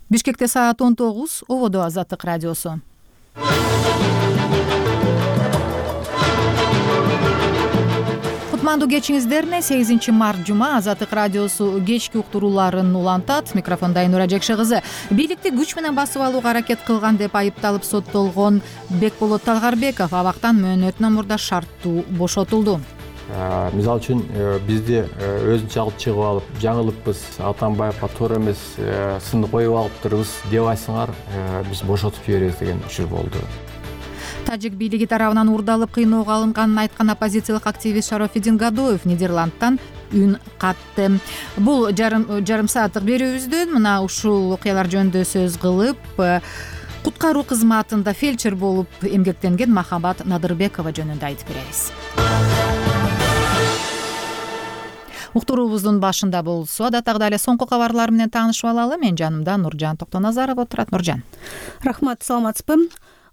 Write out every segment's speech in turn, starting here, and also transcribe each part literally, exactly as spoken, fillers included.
Бишкекте саат он тогуз, ободо Азаттык радиосу. Кутмандуу кечиңиздерине сегизинчи март жума Азаттык радиосу кечки уктурууларын улантат. Микрофонда Айнура Жекше кызы. Бийликти күч менен басып алууга аракет кылган деп айыпталып соттолгон Бекболот Талгарбеков абактан мөөнөтүнөн мурда шарттуу бошотулду. Мисалы үчүн бизди өзүнчө алып чыгып алып, жаңылыппыз, Атамбаевга туура эмес сынды коюп алыптырбыз, дебайсыңар, биз бошотуп жиберебиз деген учур болду. Тажик бийлиги тарабынан урдалып кыйноого алынганын айткан оппозициялык активист Шарафиддин Гадоев Нидерландтан үн катты. Бул жарым жарым сааттык берүүбүздөн мына ушул окуялар жөнүндө сөз кылып, куткаруу кызматында фельдшер болуп эмгектенген Махабат Надырбекова жөнүндө айтып беребиз. Уктуруубуздун башында болсо, адаттагыдай эле соңку кабарлар менен таанышып алалы. Мен жанымда Нуржан Токтоназаров отурат. Нуржан. Рахмат, саламатсызбы?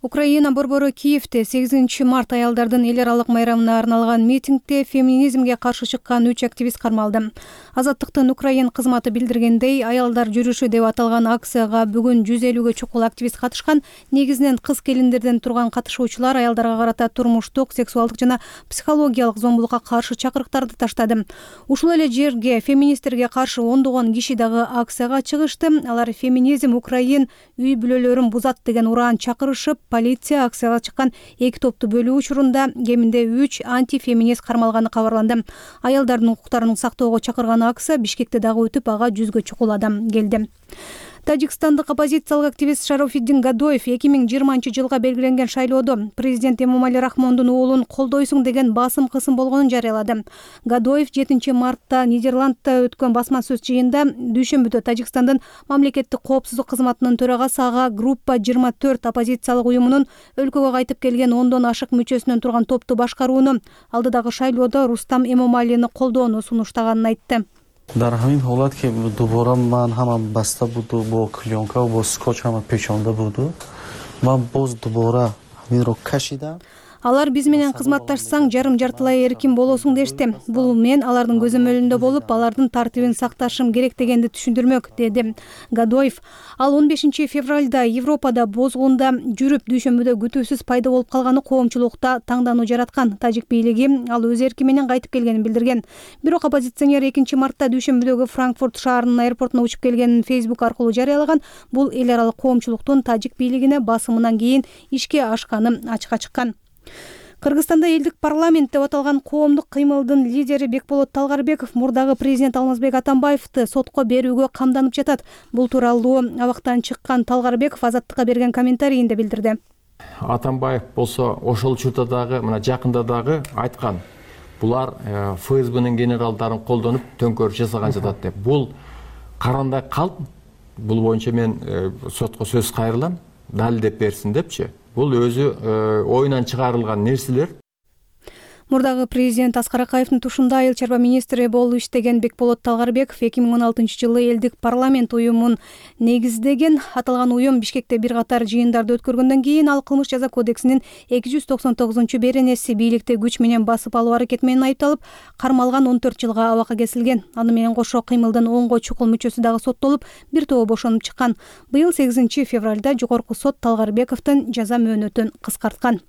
Украина борбору Киевде сегизинчи март аялдардын эл аралык майрамына арналган митингде феминизмге каршы чыккан үч активист кармалды. Азаттыктын Украин кызматы билдиргендей, аялдар жүрүшү деп аталган акцияга бүгүн жүз элүүгө чукул активист катышкан. Негизинен кыз келиндерден турган катышуучулар аялдарга карата турмуштук, сексуалдык жана психологиялык зомбулукка каршы чакырыктарды таштады. Ушул эле жерге феминисттерге каршы ондогон киши дагы акцияга чыгышты. Алар феминизм Украин үй бүлөлөрүн бузат деген ураан чакырышып, полиция акцияга чыккан эки топту бөлүү учурунда кеминде үч антифеминист кармалганы кабарланды. Аялдардын укуктарын сактоого чакырган акция Бишкекте дагы өтүп, ага жүзгө чукул адам келди. Тажикстандык оппозициялык активист Шарафиддин Гадоев эки миң жыйырманчы жылга белгиленген шайлоодо президент Эмомали Рахмондун уулун колдойсуң деген басым кысым болгонун жарыялады. Гадоев жетинчи мартта Нидерландта өткөн басма сөз жыйында дүйшөмбүдө Тажикстандын мамлекеттик коопсуздук кызматынын төрагасы ага группа жыйырма төрт оппозициялык уюмунун өлкөгө кайтып келген ондон ашык мүчөсүнөн турган топту башкарууну, алдыдагы шайлоодо Рустам Эмомалини колдоону сунуштаганын айтты. дар ҳамин ҳолат ки дубора ман ҳамам баста буду, бо клёнка бо скотч ҳама пешонда буду, ман боз дубора ҳаминро кашидам. Алар биз менен кызматташсаң жарым жартылай эркин болосуң дешти. Бул мен алардын көзөмөлүндө болуп, алардын тартибин сакташым керек дегенди түшүндүрмөк, деди Гадоев. Ал он бешинчи февралда Европада бозгунда жүрүп дүйшөмбүдө күтүүсүз пайда болуп калганы коомчулукта таңдануу жараткан. Тажик бийлиги ал өз эрки менен кайтып келгенин билдирген. Бирок оппозиционер экинчи мартта дүйшөмбүдөгү Франкфурт шаарынын аэропортуна учуп келгенин Facebook аркылуу жарыялаган. Бул эл аралык коомчулуктун тажик бийлигине басымынан кийин ишке ашканы ачыкка чыккан. Кыргызстанда элдик парламент деп аталган коомдук кыймылдын лидери Бекболот Талгарбеков мурдагы президент Алмазбек Атамбаевди сотко берүүгө камданып жатат. Бул тууралуу абактан чыккан Талгарбеков Азаттыкка берген комментарийинде билдирди. Атамбаев болсо ошол учурда дагы, мына жакында дагы айткан. Булар ФСБнын генералдарын колдонуп төңкөрүш жасаган жатат деп. Бул карандай калп. Бул боюнча мен сотко сөз кайрылам, далилдеп берсин депчи. Бул өзү оюнан чыгарылган нерселер. Мурдагы президент Аскар Акаевдин тушунда айыл чарба министри болуп иштеген Бекболот Талгарбеков эки миң он алтынчы жылы элдик парламент уюмун негиздеген. Аталган уюм Бишкекте бир катар жыйындарды өткөргөндөн кийин ал кылмыш жаза кодексинин эки жүз токсон тогузунчу беренеси бийликти күч менен басып алуу аракети менен айыпталып, кармалган он төрт жылга абакка кесилген. Аны менен кошо кыймылдын онго чукул мүчөсү дагы соттолуп, бир тобу бошонуп чыккан. Быйыл сегизинчи февралда жогорку сот Талгарбековдун жаза мөөнөтүн кыскарткан.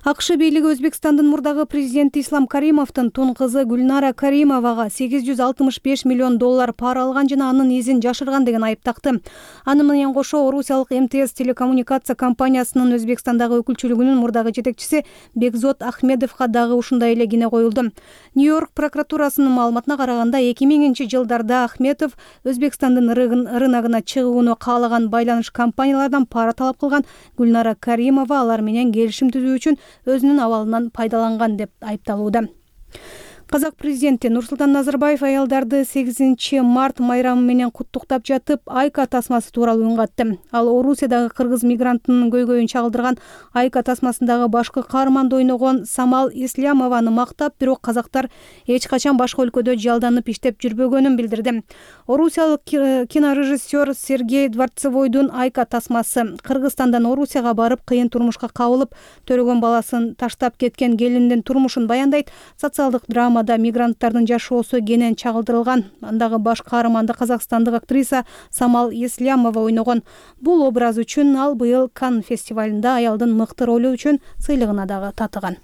АКШ бийлиги Өзбекстандын мурдагы президенти Ислам Каримовдун тун кызы Гүлнара Каримовага сегиз жүз алтымыш беш миллион доллар пара алган жана анын изин жашырган деген айып такты. Аны менен кошо Орусиялык эм тэ эс телекоммуникация компаниясынын Өзбекстандагы өкүлчүлүгүнүн мурдагы жетекчиси Бекзот Ахмедовго дагы ушундай эле кине коюлду. Нью-Йорк прокуратурасынын маалыматына караганда эки миңинчи жылдарда Ахмедов Өзбекстандын рыногуна чыгууну каалаган байланыш компаниялардан пара талап кылган. Гүлнара Каримова алар менен келишим түзүү үчүн өзүнүн абалынан пайдаланган деп айыпталууда. Казак президенти Нурсултан Назарбаев аялдарды сегизинчи март майрамы менен куттуктап жатып, Айка тасмасы тууралуу үн катты. Ал Орусиядагы кыргыз мигранттын көйгөйүн чагылдырган Айка тасмасындагы башкы каарманды ойногон Самал Ислямованы мактап, бирок казактар эч качан башка өлкөдө жалданып иштеп жүрбөгөнүн билдирди. Орусиялык кинорежиссер Сергей Дворцевойдун Айка тасмасы Кыргызстандан Орусияга барып кыйын турмушка кабылып, төрөгөн баласын таштап кеткен келиндин турмушун баяндайт. Социалдык драма драмада мигранттардын жашоосу кенен чагылдырылган. Андагы баш каарманды казакстандык актриса Самал Еслямова ойногон. Бул образ үчүн ал быйыл Канн фестивалында аялдын мыкты ролу үчүн сыйлыгына дагы татыган.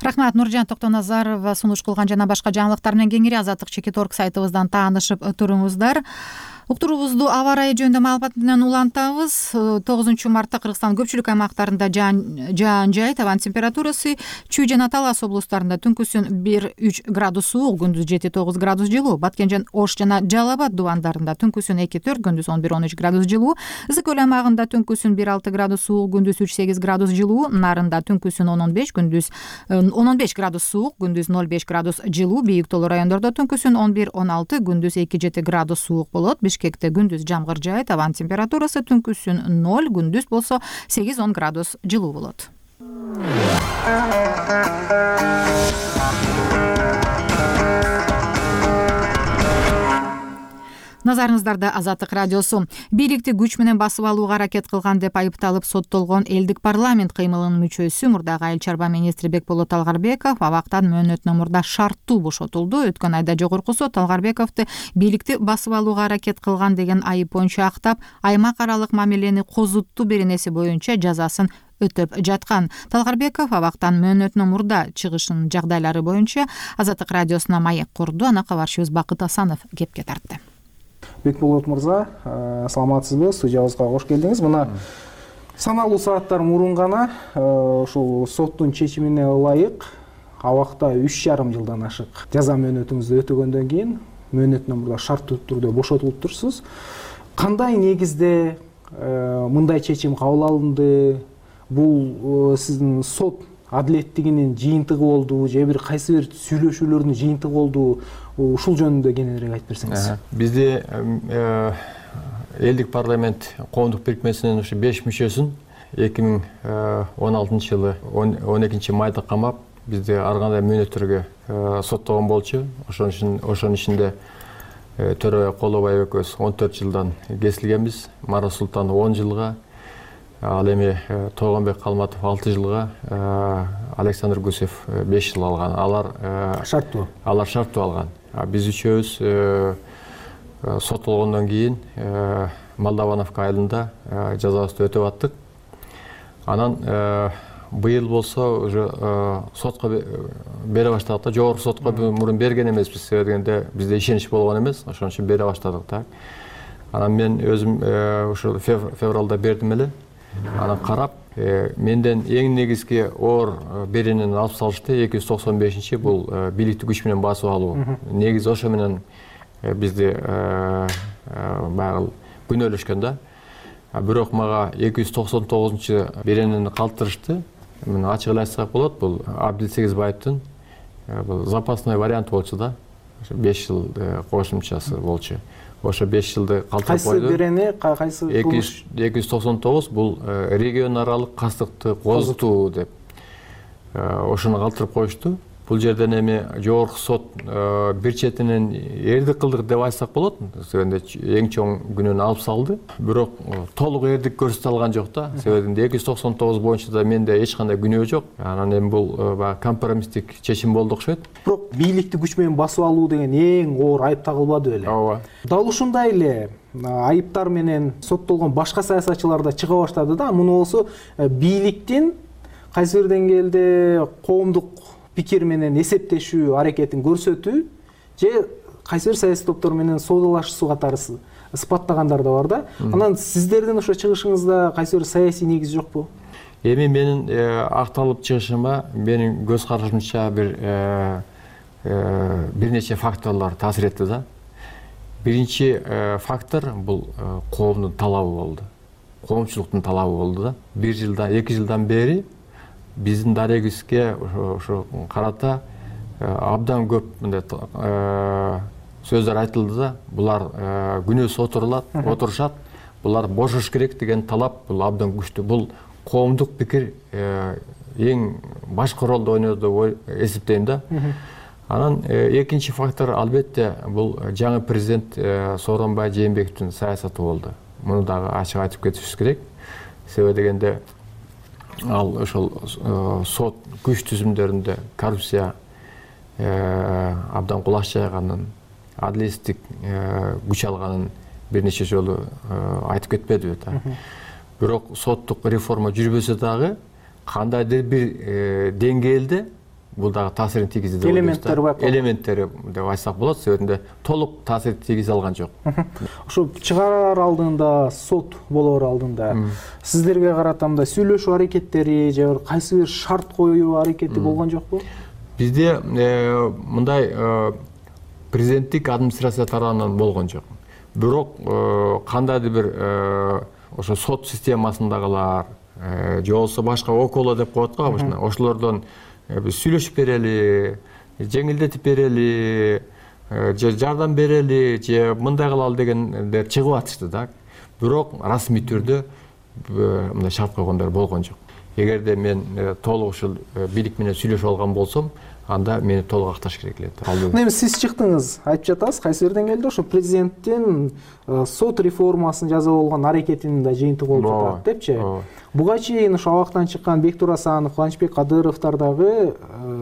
Рахмат, Нуржан Токтоназарова сунуш кылган жана башка жаңылыктар менен кеңири Азаттык чекит орг сайтыбыздан таанышып туруңуздар. Уктуруубузду аба ырайы жөнүндө маалымат менен улантабыз. тогузунчу мартта Кыргызстандын көпчүлүк аймактарында жаан жайыт, абанын температурасы Чүй жана Талас облустарында түнкүсүн бир үч градус суук, күндүз жети тогуз градус жылуу, Баткенжен, Ош жана Жалал Абад дубандарында түнкүсүн эки төрт, күндүз он бир он үч градус жылуу, Ысык көл аймагында түнкүсүн бир алты градус суук, күндүз үч сегиз градус жылуу, Нарында түнкүсүн он он беш, күндүз он он беш градус суук, күндүз ноль беш градус жылуу, Бийик тоолуу райондордо түнкүсүн он бир он алты, күндүз эки жети градус суук болот. Бишкекте күндүз жамгыр жаайт, абанын температурасы түнкүсүн ноль, күндүз болсо сегиз он градус жылуу болот. Назарыңыздарда Азаттык радиосу. Бийликти күч менен басып алууга аракет кылган деп айыпталып соттолгон элдик парламент кыймылынын мүчөсү, мурдагы айыл чарба министри Бекболот Талгарбеков абактан мөөнөтүнөн мурда шарттуу бошотулду. Өткөн айда жогорку сот Талгарбековду бийликти басып алууга аракет кылган деген айып боюнча актап, аймак аралык мамилени козуттуу беренеси боюнча жазасын өтөп жаткан. Талгарбеков абактан мөөнөтүнөн мурда чыгышынын жагдайлары боюнча Азаттык радиосуна маек курду. Аны кабарчыбыз Бакыт Асанов кепке тартты. Бекболот мырза, саламатсызбы? Студиябызга кош келдиңиз. Мына саналуу сааттар мурун гана ушул соттун чечимине ылайык абакта үч жарым жылдан ашык жаза мөөнөтүңүздү өтөгөндөн кийин мөөнөтүнөн мурда шарттуу түрдө бошотулуп турсуз. Кандай негизде мындай чечим кабыл алынды? Бул сиздин сот адилеттигинин жыйынтыгы болду же бир кайсы бир сүйлөшүүлөрдүн жыйынтыгы болду? Ушул жөнүндө кененирээк айтып берсеңиз. Бизде элдик парламент коомдук бирикмесинин ушу беш мүчөсүн эки миң он алтынчы жылы он экинчи майда камап, бизде ар кандай мөөнөттөргө соттогон болчу. Ошонун ичинде Төрөбай Колобаев экөөбүз он төрт жылдан кесилгенбиз, Марат Султанов он жылга, ал эми Тойгонбек Калматов алты жылга, Александр Гусев беш жыл алган. Алар шарттуу. Алар шарттуу алган. Биз үчөөбүз соттолгондон кийин Молдавановка айылында жазабызды өтөп аттык. Анан быйыл болсо уже сотко бере баштадык да. Жогорку сотко мурун берген эмеспиз, себеби дегенде бизде ишенич болгон эмес, ошон үчүн бере баштадык да. Анан мен өзүм ушул февралда бердим эле. Анан карап, менден эң негизги оор беренени алып салышты. эки жүз токсон бешинчи бул бийликти күч менен басып алуу. Негизи ошо менен бизди баягы күнөөлөшкөн да. Бирок мага эки жүз токсон тогузунчу беренени калтырышты. Мен ачык эле айтсак болот, бул Абдил Сегизбаевдин бул запасной варианты болчу да. беш жыл кошумчасы болчу. Ошо беш жылды калтырып койду. Кайсы берени, кайсы эки жүз токсон тогуз бул регион аралык кастыкты козутуу деп ошону калтырып коюшту. Бул жерден эми жогорку сот бир четинен эрдик кылдык деп айтсак болот. Себебинде эң чоң күнөөнү алып салды. Бирок толук эрдик көрсөтө алган жок да. Себебинде эки жүз токсон тогуз боюнча да менде эч кандай күнөө жок. Анан эми бул баягы компромисстик чечим болду окшойт. Бирок бийликти күч менен басып алуу деген эң оор айып тагылбады беле? Ооба. Дал ушундай эле айыптар менен соттолгон башка саясатчылар да чыга баштады да. Муну болсо бийликтин кайсы бир деңгээлде коомдук пикир менен эсептешүү аракетин көрсөтүү же кайсы бир саясий топтор менен соодалашуу катары ысбаттагандар да бар да. Анан сиздердин ошо чыгышыңызда кайсы бир саясий негиз жокпу? Эми менин акталып чыгышыма менин көз карашымча бир бир нече факторлор таасир этти да. Биринчи фактор бул коомдун талабы болду. Коомчулуктун талабы болду да. Бир жылдан, эки жылдан бери биздин дарегибизге ошо карата абдан көп мындай сөздөр айтылды да. Булар күнөөсүз отурулат, отурушат. Булар бошош керек деген талап бул абдан күчтүү. Бул коомдук пикир эң башкы ролду ойноду деп эсептейм да. Анан экинчи фактор албетте бул жаңы президент Сооронбай Жээнбековдун саясаты болду. Муну дагы ачык айтып кетишибиз керек. Себеби дегенде ал ошол сот күч түзүмдөрүндө коррупция абдан кулаш жайганын, адилеттик күч алганын бир нече жолу айтып кетпедиби да. Бирок соттук реформа жүрбөсө дагы кандайдыр бир деңгээлде бул дагы таасирин тийгизди деп элементтери бар. Элементтери деп айтсак болот, себебинде толук таасир тийгизе алган жок. Ошо чыгарар алдында, сот болоор алдында сиздерге карата мындай сүйлөшүү аракеттери же бир кайсы бир шарт коюу аракети болгон жокпу? Бизде мындай президенттик администрация тарабынан болгон жок. Бирок кандайдыр бир ошо сот системасындагылар же болбосо башка около деп коет го обычно, ошолордон биз сүйлөшүп берели, жеңилдетип берели, же жардам берели, же мындай кылалы дегендер чыгып атышты да. Бирок расмий түрдө мындай шарт койгондор болгон жок. Эгерде мен толук ушул бийлик менен сүйлөшүп алган болсом, анда мени толук акташ керек эле. Эми сиз чыктыңыз, айтып жатасыз, кайсы бир деңгээлде ошо президенттин сот реформасын жасап болгон аракетинин да жыйынтыгы болуп жатат депчи. Буга чейин ошо абактан чыккан Бектур Асанов, Кубанычбек Кадыровдор дагы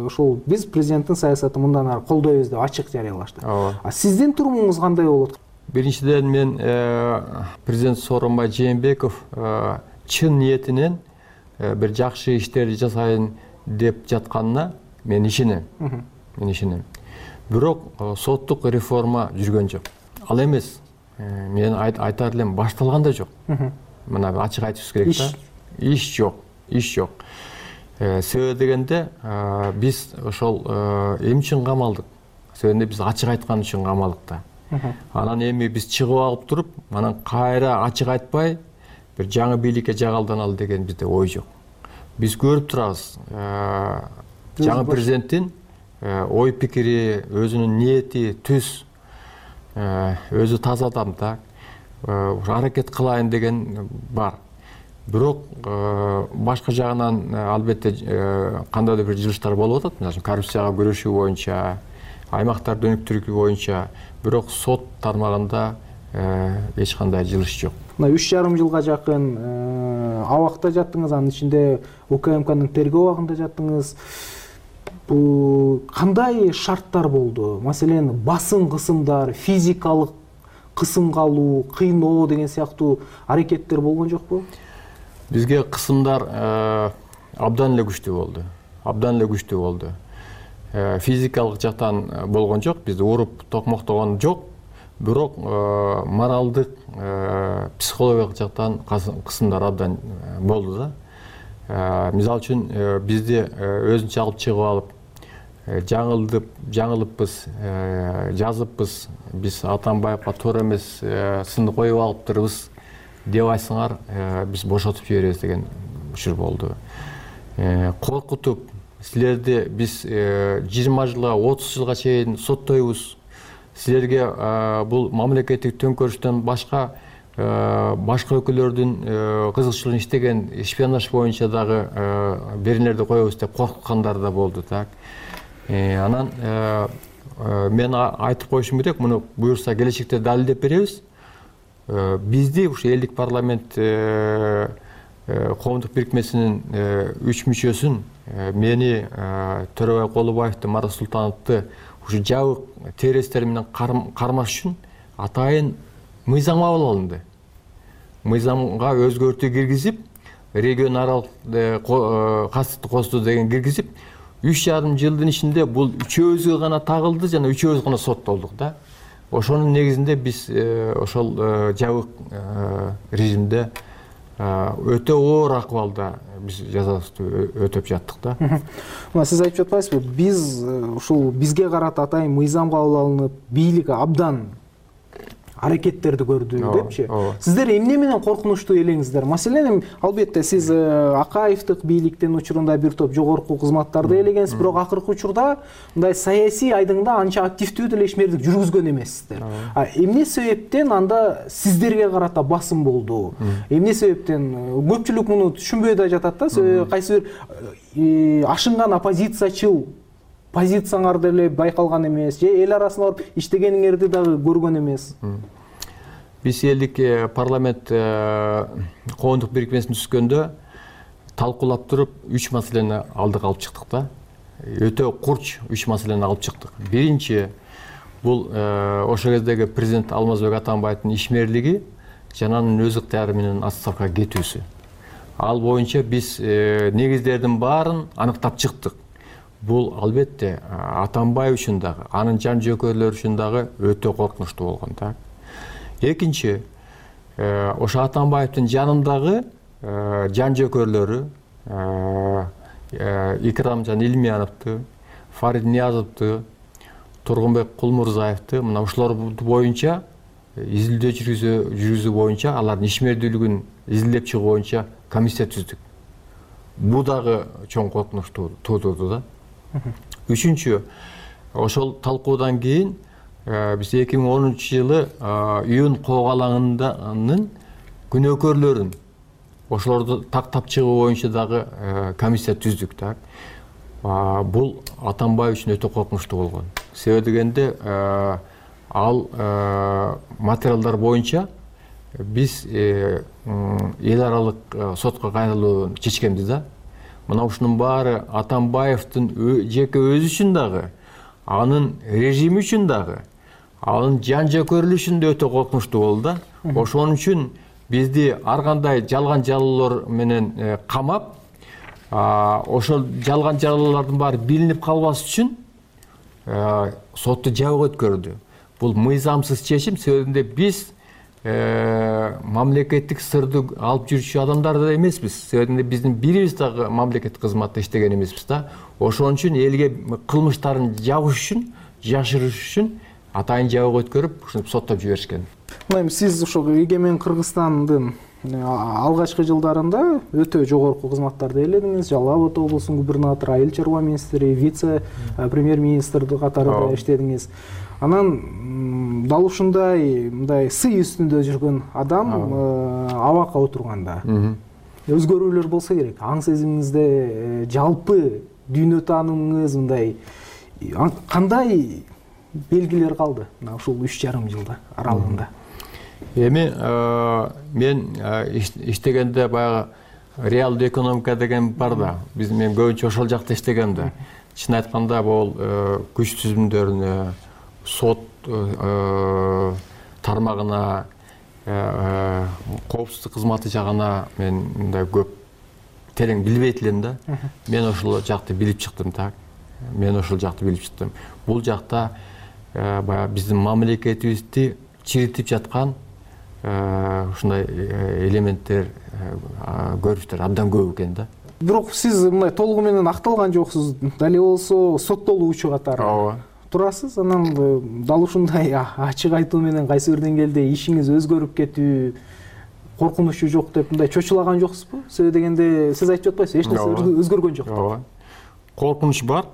ошол биз президенттин саясатын мындан ары колдойбуз деп ачык жарыялашты. А сиздин турумуңуз кандай болот? Биринчиден мен президент Сооронбай Жээнбеков чын ниетинен бир жакшы иштерди жасайын деп жатканына мен ишенем. Мен ишенем. Бирок соттук реформа жүргөн жок. Ал эмес. Мен айтар элем, башталган да жок. Мына ачык айтышыбыз керек да. Иш жок, иш жок. Себеби дегенде биз ошол эмне үчүн камалдык? Себебинде биз ачык айткан үчүн камалдык да. Анан эми биз чыгып алып туруп, анан кайра ачык айтпай бир жаңы бийликке жагалданалы деген бизде ой жок. Биз көрүп турабыз. Жаңы президенттин ой пикири, өзүнүн ниети, түз, өзү таза адам да. Аракет кылайын деген бар. Бирок башка жагынан албетте кандайдыр бир жылыштар болуп атат. Мисалы, коррупцияга күрөшүү боюнча, аймактарды өнүктүрүү боюнча, бирок сот тармагында эч кандай жылыш жок. Мына үч жарым жылга жакын абакта жаттыңыз, анын ичинде УКМКнын тергөө абагында жаттыңыз. Бул кандай шарттар болду? Маселен, басым кысымдар, физикалык кысымга алуу, кыйноо деген сыяктуу аракеттер болгон жокпу? Бизге кысымдар абдан эле күчтүү болду. Абдан эле күчтүү болду. Физикалык жактан болгон жок, бизди уруп токмоктогон жок. Бирок моралдык, психологиялык жактан кысымдар абдан болду да. Мисалы үчүн бизди өзүнчө алып чыгып алып, жаңылдып, жаңылыппыз, жазыппыз, биз Атамбаевга туура эмес сынды коюп алыптырбыз деп айтсаңар, биз бошотуп жиберебиз деген учур болду. Коркутуп, силерди биз жыйырма жылга, отуз жылга чейин соттойбуз. Силерге бул мамлекеттик төңкөрүштөн башка башка өлкөлөрдүн кызыкчылыгын иштеген шпионаж боюнча дагы беренелерди коебуз деп коркуткандар да болду так. Анан мен айтып коюшум керек, муну буюрса келечекте далилдеп беребиз. Бизди ушу элдик парламент коомдук бирикмесинин үч мүчөсүн, мени, Төрөбай Колубаевди, Марат Султановду ушу жабык террористтер менен кармаш үчүн атайын мыйзам кабыл алынды. Мыйзамга өзгөртүү киргизип, регион аралык кастыкты косту деген киргизип, үч жарым жылдын ичинде бул үчөөбүзгө гана тагылды жана үчөөбүз гана соттолдук да. Ошонун негизинде биз ошол жабык режимде өтө оор акыбалда биз жазабызды өтөп жаттык да. Мына сиз айтып жатпайсызбы? Биз ушул бизге карата атайын мыйзам кабыл алынып, бийлик абдан аракеттерди көрдү депчи. Сиздер эмне менен коркунучтуу элеңиздер? Маселен, албетте сиз Акаевдик бийликтин учурунда бир топ жогорку кызматтарды элегенсиз, бирок акыркы учурда мындай саясий айдыңда анча активдүү деле ишмердик жүргүзгөн эмессиздер. А эмне себептен анда сиздерге карата басым болду? Эмне себептен? Көпчүлүк муну түшүнбөй да жатат да, кайсы бир ашынган оппозициячыл позицияңар деле байкалган эмес, же эл арасына барып иштегениңерди дагы көргөн эмес. Биз элдик парламент коомдук бирикмесин түзгөндө талкуулап туруп үч маселени алдыга алып чыктык да. өтө курч үч маселени алып чыктык. Биринчи, бул ошол кездеги президент Алмазбек Атамбаевдин ишмерлиги жана анын өз ыктыяры менен отставкага кетүүсү. Ал боюнча биз негиздердин баарын аныктап чыктык. Бул албетте Атамбаев үчүн дагы, анын жан жөөкөрлөрү үчүн дагы өтө коркунучтуу болгон. Экинчи, ошо Атамбаевдин жанындагы жан жөөкөрлөрү Икрам жана Илмияновду, Фарид Ниязовду, Тургунбек Кулмурзаевди мына ушулар боюнча изилдөө жүргүзүү боюнча, алардын ишмердүүлүгүн изилдеп чыгуу боюнча комиссия түздүк. Бул дагы чоң коркунуч туудурду да. Үчүнчү, ошол талкуудан кийин биз эки миң онунчу жылы июнь кок алаңынын күнөөкөрлөрүн ошолорду тактап чыгуу боюнча дагы комиссия түздүк. Бул Атамбаев үчүн өтө коркунучтуу болгон. Себеби дегенде ал материалдар боюнча биз эл аралык сотко кайрылууну чечкенбиз да. Мына ушунун баары Атамбаевдин жеке өзү үчүн дагы, анын режими үчүн дагы, анын жан жөөкөрлүгү үчүн да өтө коркунучтуу болду да. Ошон үчүн бизди ар кандай жалган жалалар менен камап, ошол жалган жалалардын баары билинип калбас үчүн сотту жабык өткөрдү. Бул мыйзамсыз чечим, себебинде биз мамлекеттик сырды алып жүрүүчү адамдар да эмеспиз. Себебинде биздин бирибиз дагы мамлекеттик кызматта иштеген эмеспиз да. Ошон үчүн элге кылмыштарын жабыш үчүн, жашырыш үчүн атайын жабык өткөрүп, ушинтип соттоп жиберишкен. Мына сиз ошол эгемен Кыргызстандын алгачкы жылдарында өтө жогорку кызматтарды ээледиңиз. Жалал Абад облусунун губернатору, айыл чарба министри, вице премьер-министр катарында иштедиңиз. Анан дал ушундай мындай сый үстүндө жүргөн адам абакка отурганда өзгөрүүлөр болсо керек. Аң сезимиңизде жалпы дүйнө таанымыңыз мындай кандай белгилер калды мына ушул үч жарым жылда аралыгында? Эми мен иштегенде баягы реалдуу экономика деген бар да. Биз мен көбүнчө ошол жакта иштегем да. Чын айтканда бул күч түзүмдөрүнө, сот тармагына, коопсуздук кызматы жагына мен мындай көп терең билбейт элем да. Мен ошол жакты билип чыктым да. Мен ошол жакты билип чыктым. Бул жакта баягы биздин мамлекетибизди чиритип жаткан ушундай элементтер, көрүнүштөр абдан көп экен да. Бирок сиз мындай толугу менен акталган жоксуз. Дале болсо соттолуучу катары турасыз. Анан дал ушундай ачык айтуу менен кайсы бир деңгээлде ишиңиз өзгөрүп кетүү коркунучу жок деп мындай чочулаган жоксузбу? Себеби дегенде сиз айтып жатпайсызбы, эч нерсе өзгөргөн жок деп. Коркунуч бар.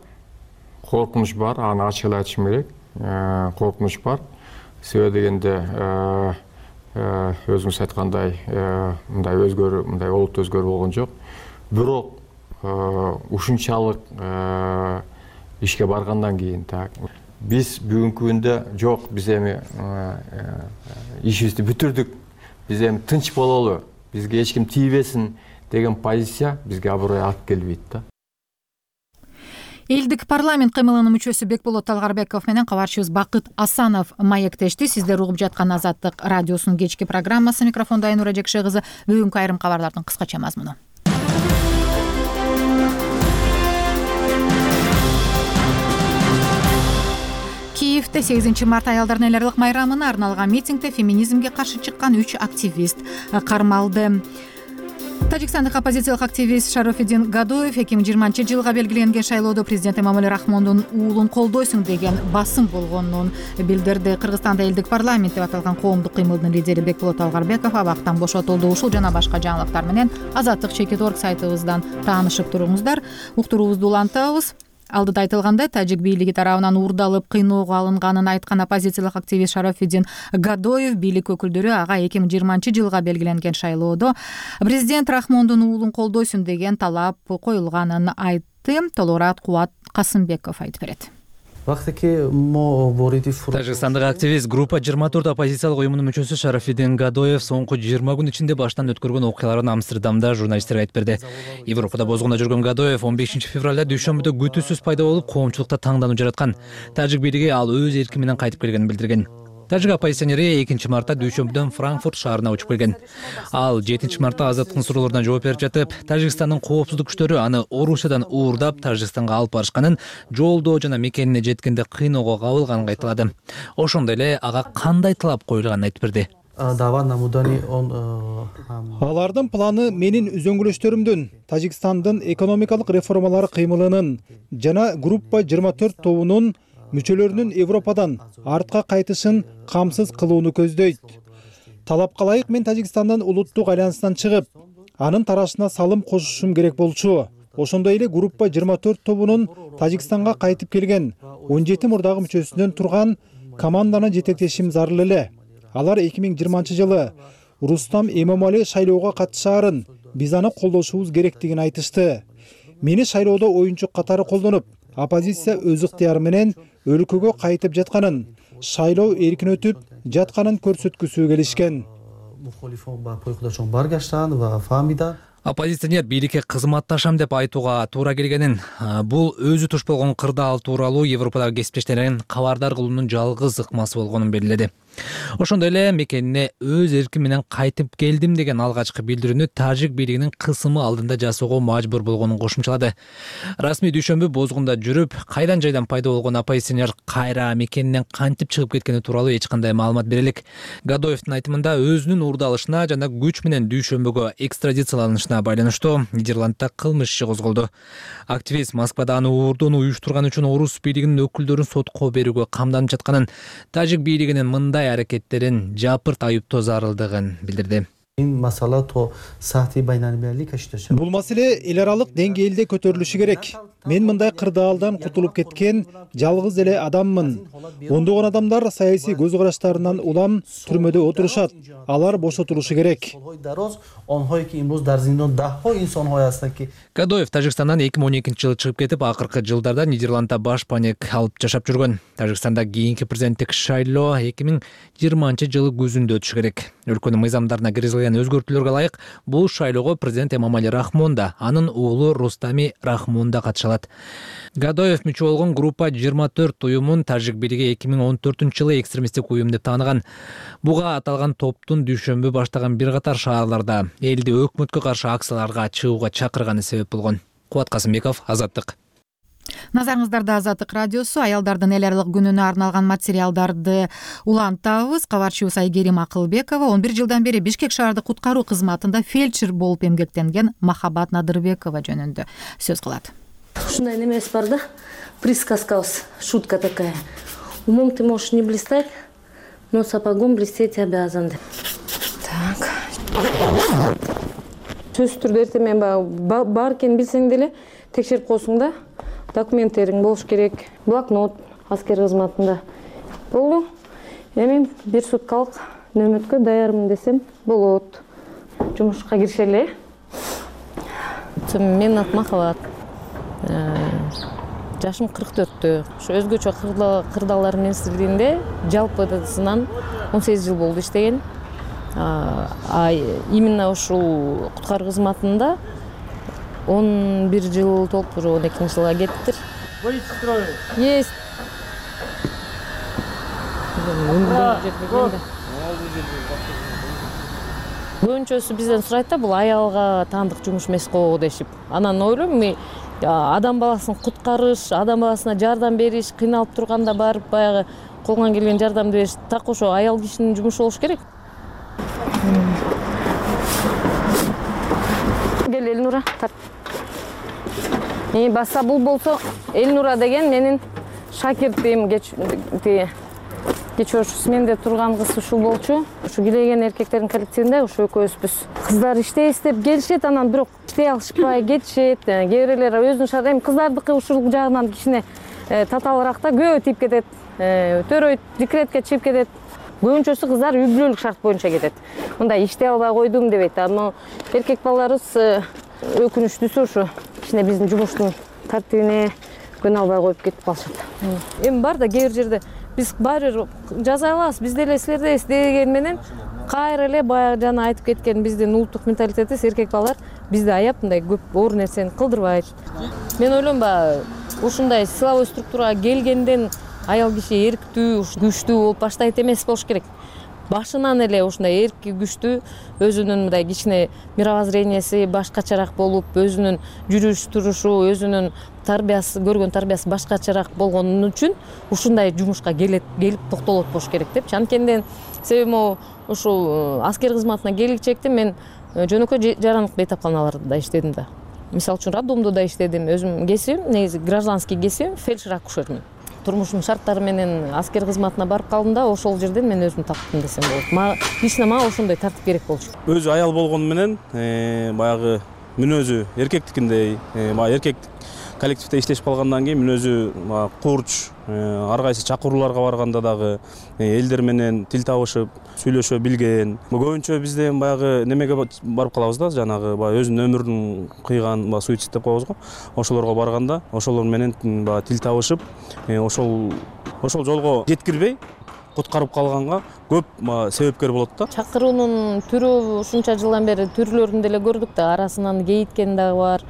Коркунуч бар, аны ачык айтышым керек. Коркунуч бар. Себеби дегенде өзүңүз айткандай мындай өзгөрүү, мындай олуттуу өзгөрүү болгон жок. Бирок ушунчалык ишке баргандан кийин биз бүгүнкү күндө жок, биз эми ишибизди бүтүрдүк, биз эми тынч бололу, бизге эч ким тийбесин деген позиция бизге аброй алып келбейт да. Элдик парламент кыймылынын мүчөсү Бекболот Талгарбеков менен кабарчыбыз Бакыт Асанов маектешти. Сиздер угуп жаткан Азаттык радиосунун кечки программасы. Микрофондо Айнура Жекше кызы. Бүгүнкү айрым кабарлардын кыскача мазмуну. Киевде сегизинчи март аялдардын эл аралык майрамына арналган митингде феминизмге каршы чыккан үч активист кармалды. Тажикстандык оппозициялык активист Шарофиддин Гадоев эки миң жыйырманчы жылга белгиленген шайлоодо президент Эмомали Рахмондун уулун колдойсуң деген басым болгонун билдирди. Кыргызстанда элдик парламент деп аталган коомдук кыймылдын лидери Бекболот Талгарбеков абактан бошотулду. Ушул жана башка жаңылыктар менен Азаттык чекит орг сайтыбыздан таанышып туруңуздар. Уктуруубузду улантабыз. Алдыда айтылгандай, тажик бийлиги тарабынан уурдалып кыйноого алынганын айткан оппозициялык активист Шарофиддин Гадоев бийлик өкүлдөрү ага эки миң жыйырманчы жылга белгиленген шайлоодо президент Рахмондун уулун колдойсуң деген талап коюлганын айтты. Толугураак Кубат Касымбеков айтып берет. Тажикстандык активист группа жыйырма төрт оппозициялык уюмунун мүчөсү Шарафиддин Гадоев соңку жыйырма күн ичинде баштан өткөргөн окуяларын Амстердамда журналисттерге айтып берди. Европада бозгунда жүргөн Гадоев он бешинчи февралда дүйшөмбүдө күтүүсүз пайда болуп, коомчулукта таңдануу жараткан. Тажик бийлиги ал өз эрки менен кайтып келгенин билдирген. Тажик оппозиционери экинчи мартта дүйшөмбүдөн Франкфурт шаарына учуп келген. Ал жетинчи мартта азаттыктын суроолоруна жооп берип жатып, Тажикстандын коопсуздук күчтөрү аны Орусиядан уурдап Тажикстанга алып барышканын, жолдо жана мекенине жеткенде кыйноого кабылганын айтылады. Ошондой эле ага кандай талап коюлганын айтып берди. Алардын планы менин үзөңгүлөштөрүмдүн, Тажикстандын экономикалык реформалары кыймылынын жана группа жыйырма төрт тобунун мүчөлөрүнүн Европадан артка кайтышын камсыз кылууну көздөйт. Талапка ылайык мен Тажикстандын улуттук альянсынан чыгып, анын тарашына салым кошушум керек болчу. Ошондой эле группа жыйырма төрт тобунун Тажикстанга кайтып келген он жети мурдагы мүчөсүнөн турган команданы жетектешим зарыл эле. Алар эки миң жыйырманчы жылы Рустам Эмомали шайлоого катышаарын, биз аны колдошубуз керектигин айтышты. Мени шайлоодо оюнчу катары колдонуп, оппозиция өз ыктыяры менен өлкөгө кайтып жатканын, шайлоо эркин өтүп жатканын көрсөткүсү келишкен. Оппозиционер бийликке кызматташам деп айтууга туура келгенин, бул өзү туш болгон кырдаал тууралуу Европадагы кесиптештерин кабардар кылуунун жалгыз ыкмасы болгонун белгиледи. Ошондой эле мекенине өз эрким менен кайтып келдим деген алгачкы билдирүүнү Тажик бийлигинин кысымы алдында жасоого мажбур болгонун кошумчалады. Расмий дүйшөмбү бозгунда жүрүп, кайдан жайдан пайда болгон оппозиционер кайра мекенинен кантип чыгып кеткени тууралуу эч кандай маалымат бере элек. Гадоевдин айтымында өзүнүн уурдалышына жана күч менен дүйшөмбөгө экстрадицияланышына байланыштуу Нидерландда кылмыш иши козголду. Активист Москвада аны уурдоону уюштурган үчүн орус бийлигинин өкүлдөрүн сотко берүүгө камданып жатканын, Тажик бийлигинин мындай аракеттерин жапырт айыптоо зарылдыгын билдирди. Бул маселе эл аралык деңгээлде көтөрүлүшү керек. Мен мындай кырдаалдан кутулуп кеткен жалгыз эле адаммын. Ондогон адамдар саясий көз караштарынан улам түрмөдө отурушат. Алар бошотулушу керек. Гадоев Тажикстандан эки миң он экинчи жылы чыгып кетип, акыркы жылдарда Нидерландда баш паник алып жашап жүргөн. Тажикстанда кийинки президенттик шайлоо эки миң жыйырманчы жылы күзүндө өтүшү керек. Өлкөнүн мыйзамдарына киргизилген өзгөртүүлөргө ылайык бул шайлоого президент Эмомали Рахмон да, анын уулу Рустами Рахмон да катышат. Гадоев мүчө болгон группа жыйырма төрт уюмун Тажик бийлиги эки миң он төртүнчү жылы экстремисттик уюм деп тааныган. Буга аталган топтун дүйшөмбү баштаган бир катар шаарларда элди өкмөткө каршы акцияларга чыгууга чакырганы себеп болгон. Кубат Касымбеков, Азаттык. Назарыңыздарда Азаттык радиосу. Аялдардын эл аралык күнүнө арналган материалдарды улантабыз. Кабарчыбыз Айгерим Акылбекова он бир жылдан бери Бишкек шаардык куткаруу кызматында фельдшер болуп эмгектенген Махабат Надырбекова жөнүндө сөз кылат. Ушундай немес бар да, присказкабыз, шутка такая. Умом ты можешь не блистать, но сапогом блестеть обязан. Так. Сөзсүз түрдө эртең мен бар экенин билсең деле текшерип коесуң да. Документтериң болуш керек, блокнот аскер кызматында. Болду. Эми бир суткалык нөмөткө даярмын десем болот. Жумушка киришели. Мен ат Махабат. Жашым кырк төрттө. Ошо өзгөчө кырдаалар министрлигинде жалпысынан он сегиз жыл болду иштеген. А именно ушул куткаруу кызматында он бир жыл толуп уже он экинчи жылга кеттир. Выйти строю. Есть. Көбүнчөсү бизден сурайт да, бул аялга таандык жумуш эмес го дешип. Анан ойлойм, мен адам баласын куткарыш, адам баласына жардам бериш, кыйналып турганда барып баягы колуңан келген жардам бериш, так ошо аял кишинин жумушу болуш керек. Кел Элнура, тарт. Эми баса бул болсо Элнура деген менин шакиртим, кечөөчүсү менде турган кыз ушул болчу. Ушу килеген эркектердин коллективинде ушу экөөбүзбүз. Кыздар иштей иштеп келишет, анан бирок иштей алышпай кетишет. Кээ бирлер өзүнүн шарты, эми кыздардыкы ушул жагынан кичине татаалыраак да, көбү тийип кетет. Төрөйт, декретке чыгып кетет. Көбүнчөсү кыздар үй бүлөлүк шарт боюнча кетет. Мындай иштей албай койдум дебейт. Ама эркек балдарыбыз өкүнүчтүүсү ушу кичине биздин жумуштун тартибине күнөө албай коюп кетип калышат. Эми бар да кээ бир жерде биз баары бир жаза алабыз, биз деле силерде дегени менен кайра эле баягы жана айтып кеткен биздин улуттук менталитетибиз эркек балдар бизди аяп мындай көп оор нерсени кылдырбайт. Мен ойлойм баягы ушундай силовой структурага келгенден аял киши эрктүү, күчтүү болуп баштайт эмес болуш керек. Башынан эле ушундай эрки, күчтүү, өзүнүн мындай кичине мировоззренияси башкачараак болуп, өзүнүн жүрүш турушу, өзүнүн тарбиясы, көргөн тарбиясы башкачараак болгон үчүн ушундай жумушка келет, келип токтолот болуш керек депчи. Анткенден себеби могу ушул аскер кызматына келгичекте мен жөнөкөй жарандык бейтапканаларда иштедим да. Мисалы үчүн роддомдо да иштедим. Өзүм кесибим, негизи гражданский кесибим, фельдшер-акушермин. Турмушумдун шарттары менен аскер кызматына барып калдым да, ошол жерден мен өзүм таптым десем болот. Мага лично мага ошондой тартип керек болчу. Өзү аял болгону менен баягы мүнөзү эркектикиндей, баягы эркек коллективде иштешип калгандан кийин мүнөзү курч, ар кайсы чакырууларга барганда дагы элдер менен тил табышып, сүйлөшө билген. Көбүнчө бизде баягы немеге барып калабыз да, жанагы баягы өзүнүн өмүрүн кыйган, баягы суицид деп коебуз го. Ошолорго барганда, ошолор менен баягы тил табышып, ошол ошол жолго жеткирбей куткарып калганга көп себепкер болот да. Чакыруунун түрү ушунча жылдан бери түрлөрүн деле көрдүк да, арасынан кейиткен дагы бар,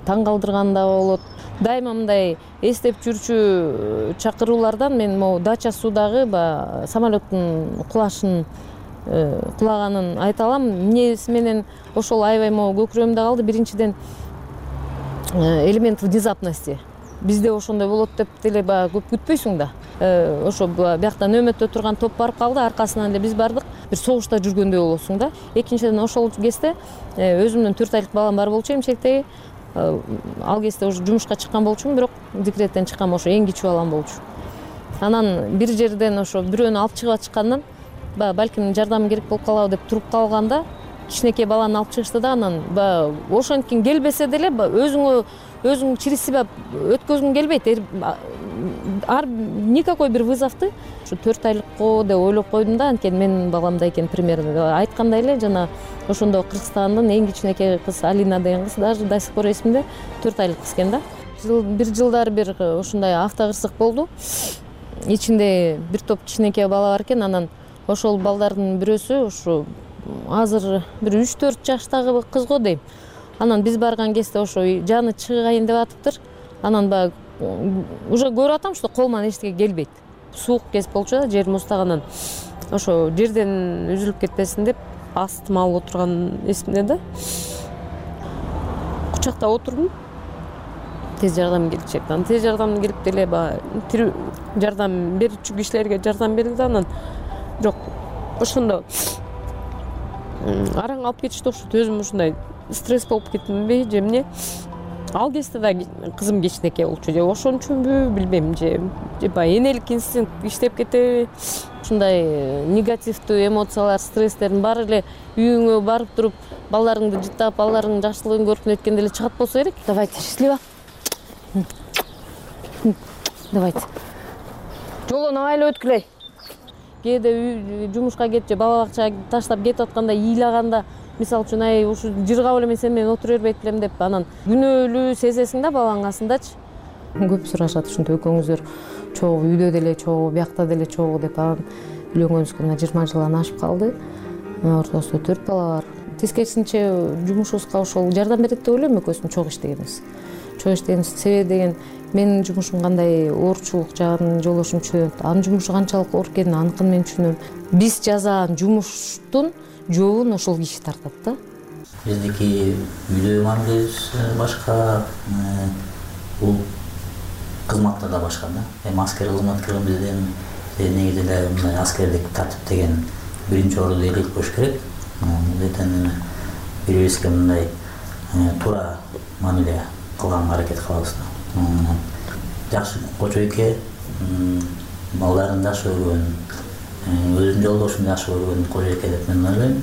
таң калтырган да болот. Дайыма мындай эстеп жүрчү чакыруулардан мен могу Дача суудагы баягы самолеттун кулашын кулаганын айта алам. Эмнеси менен ошол аябай могу көкүрөгүмдө калды. Биринчиден элемент внезапности. Бизде ошондой болот деп деле баягы көп күтпөйсүң да. Ошо биякта нөөмөттө турган топ барып калды, аркасынан эле биз бардык. Бир согушта жүргөндөй болосуң да. Экинчиден ошол кезде өзүмдүн төрт айлык балам бар болчу эмчектеги. Ал кезде уже жумушка чыккан болчумун, бирок декреттен чыккан ошо эң кичүү балам болчу. Анан бир жерден ошо бирөөнү алып чыгып аткандан балким жардам керек болуп калабы деп туруп калганда кичинекей баланы алып чыгышты да, анан ошонтип келбесе деле өзүңө өзүң через себя өткөзгүң келбейт. Ар никакой бир вызовду ушу төрт айлыкко деп ойлоп койдум да, анткени менин баламдай экен примерно. Айткандай эле жана ошондо Кыргызстандын эң кичинекей кыз Алина деген кыз даже до сих пор эсимде, төрт айлык кыз экен да. Бир жылдары бир ушундай автокырсык болду. Ичинде бир топ кичинекей бала бар экен, анан ошол балдардын бирөөсү ушу азыр бир үч төрт жаштагы кыз го дейм. Анан биз барган кезде ошо жаны чыгайын деп атыптыр. Анан баягы уже көрүп атам, что колунан эчтеке келбейт. Суук кез болчу да, жер муздаган. Ошо жерден үзүлүп кетпесин деп астыма алып отурган эсимде да. Кучакта отурдум. Тез жардам келчек. Анан тез жардам келип деле баягы жардам берүүчү кишилерге жардам берди да, анан бирок ошондо араң алып кетишти окшойт. Өзүм ушундай стресс болуп кеттимби же эмне? Ал кезде да кызым кичинекей болчу, же ошон үчүнбү билбейм, же баягы энелик инстинкт иштеп кетеби? Ушундай негативдүү эмоциялар, стресстердин баары эле үйүңө барып туруп, балдарыңды жыттап, балдарыңдын жакшылыгын көрүп неткенде эле чыгат болсо керек. Давайте, счастливо. Давайте. Жолдон абайлап өткүлөй. Кээде жумушка кетип же бала бакчага таштап кетип атканда, ыйлаганда, мисалы үчүн ай ушу жыргап эле мен сен менен отура бербейт элем деп анан күнөөлүү сезесиң да балаңдын касындачы. Көп сурашат ушинтип экөөңүздөр чогуу үйдө деле чогуу, биякта деле чогуу деп. Анан үйлөнгөнүбүзгө мына жыйырма жылдан ашып калды. Ортосунда төрт бала бар. Тескерисинче жумушубузга ошол жардам берет деп ойлойм, экөөбүздүн чогуу иштегенибиз. Чогуу иштегенибиз себеби деген менин жумушум кандай оорчулук жагын жолдошум түшүнөт. Анын жумушу канчалык оор экенин аныкын мен түшүнөм. Биз жасаган жумуштун жообун ошол киши тартат да. Биздики үйдө мамилебиз башка, бул кызматта да башка да. Эми аскер кызматкерлерибизден негизи эле мындай аскердик тартип деген биринчи орунда элек болуш керек. Мындайдан бири-бирибизге мындай туура мамиле кылганга аракет кылабыз да. Жакшы кочойке, балдарын жакшы көргөн, өзүнүн жолдошун жакшы көргөн кожойке деп мен ойлойм.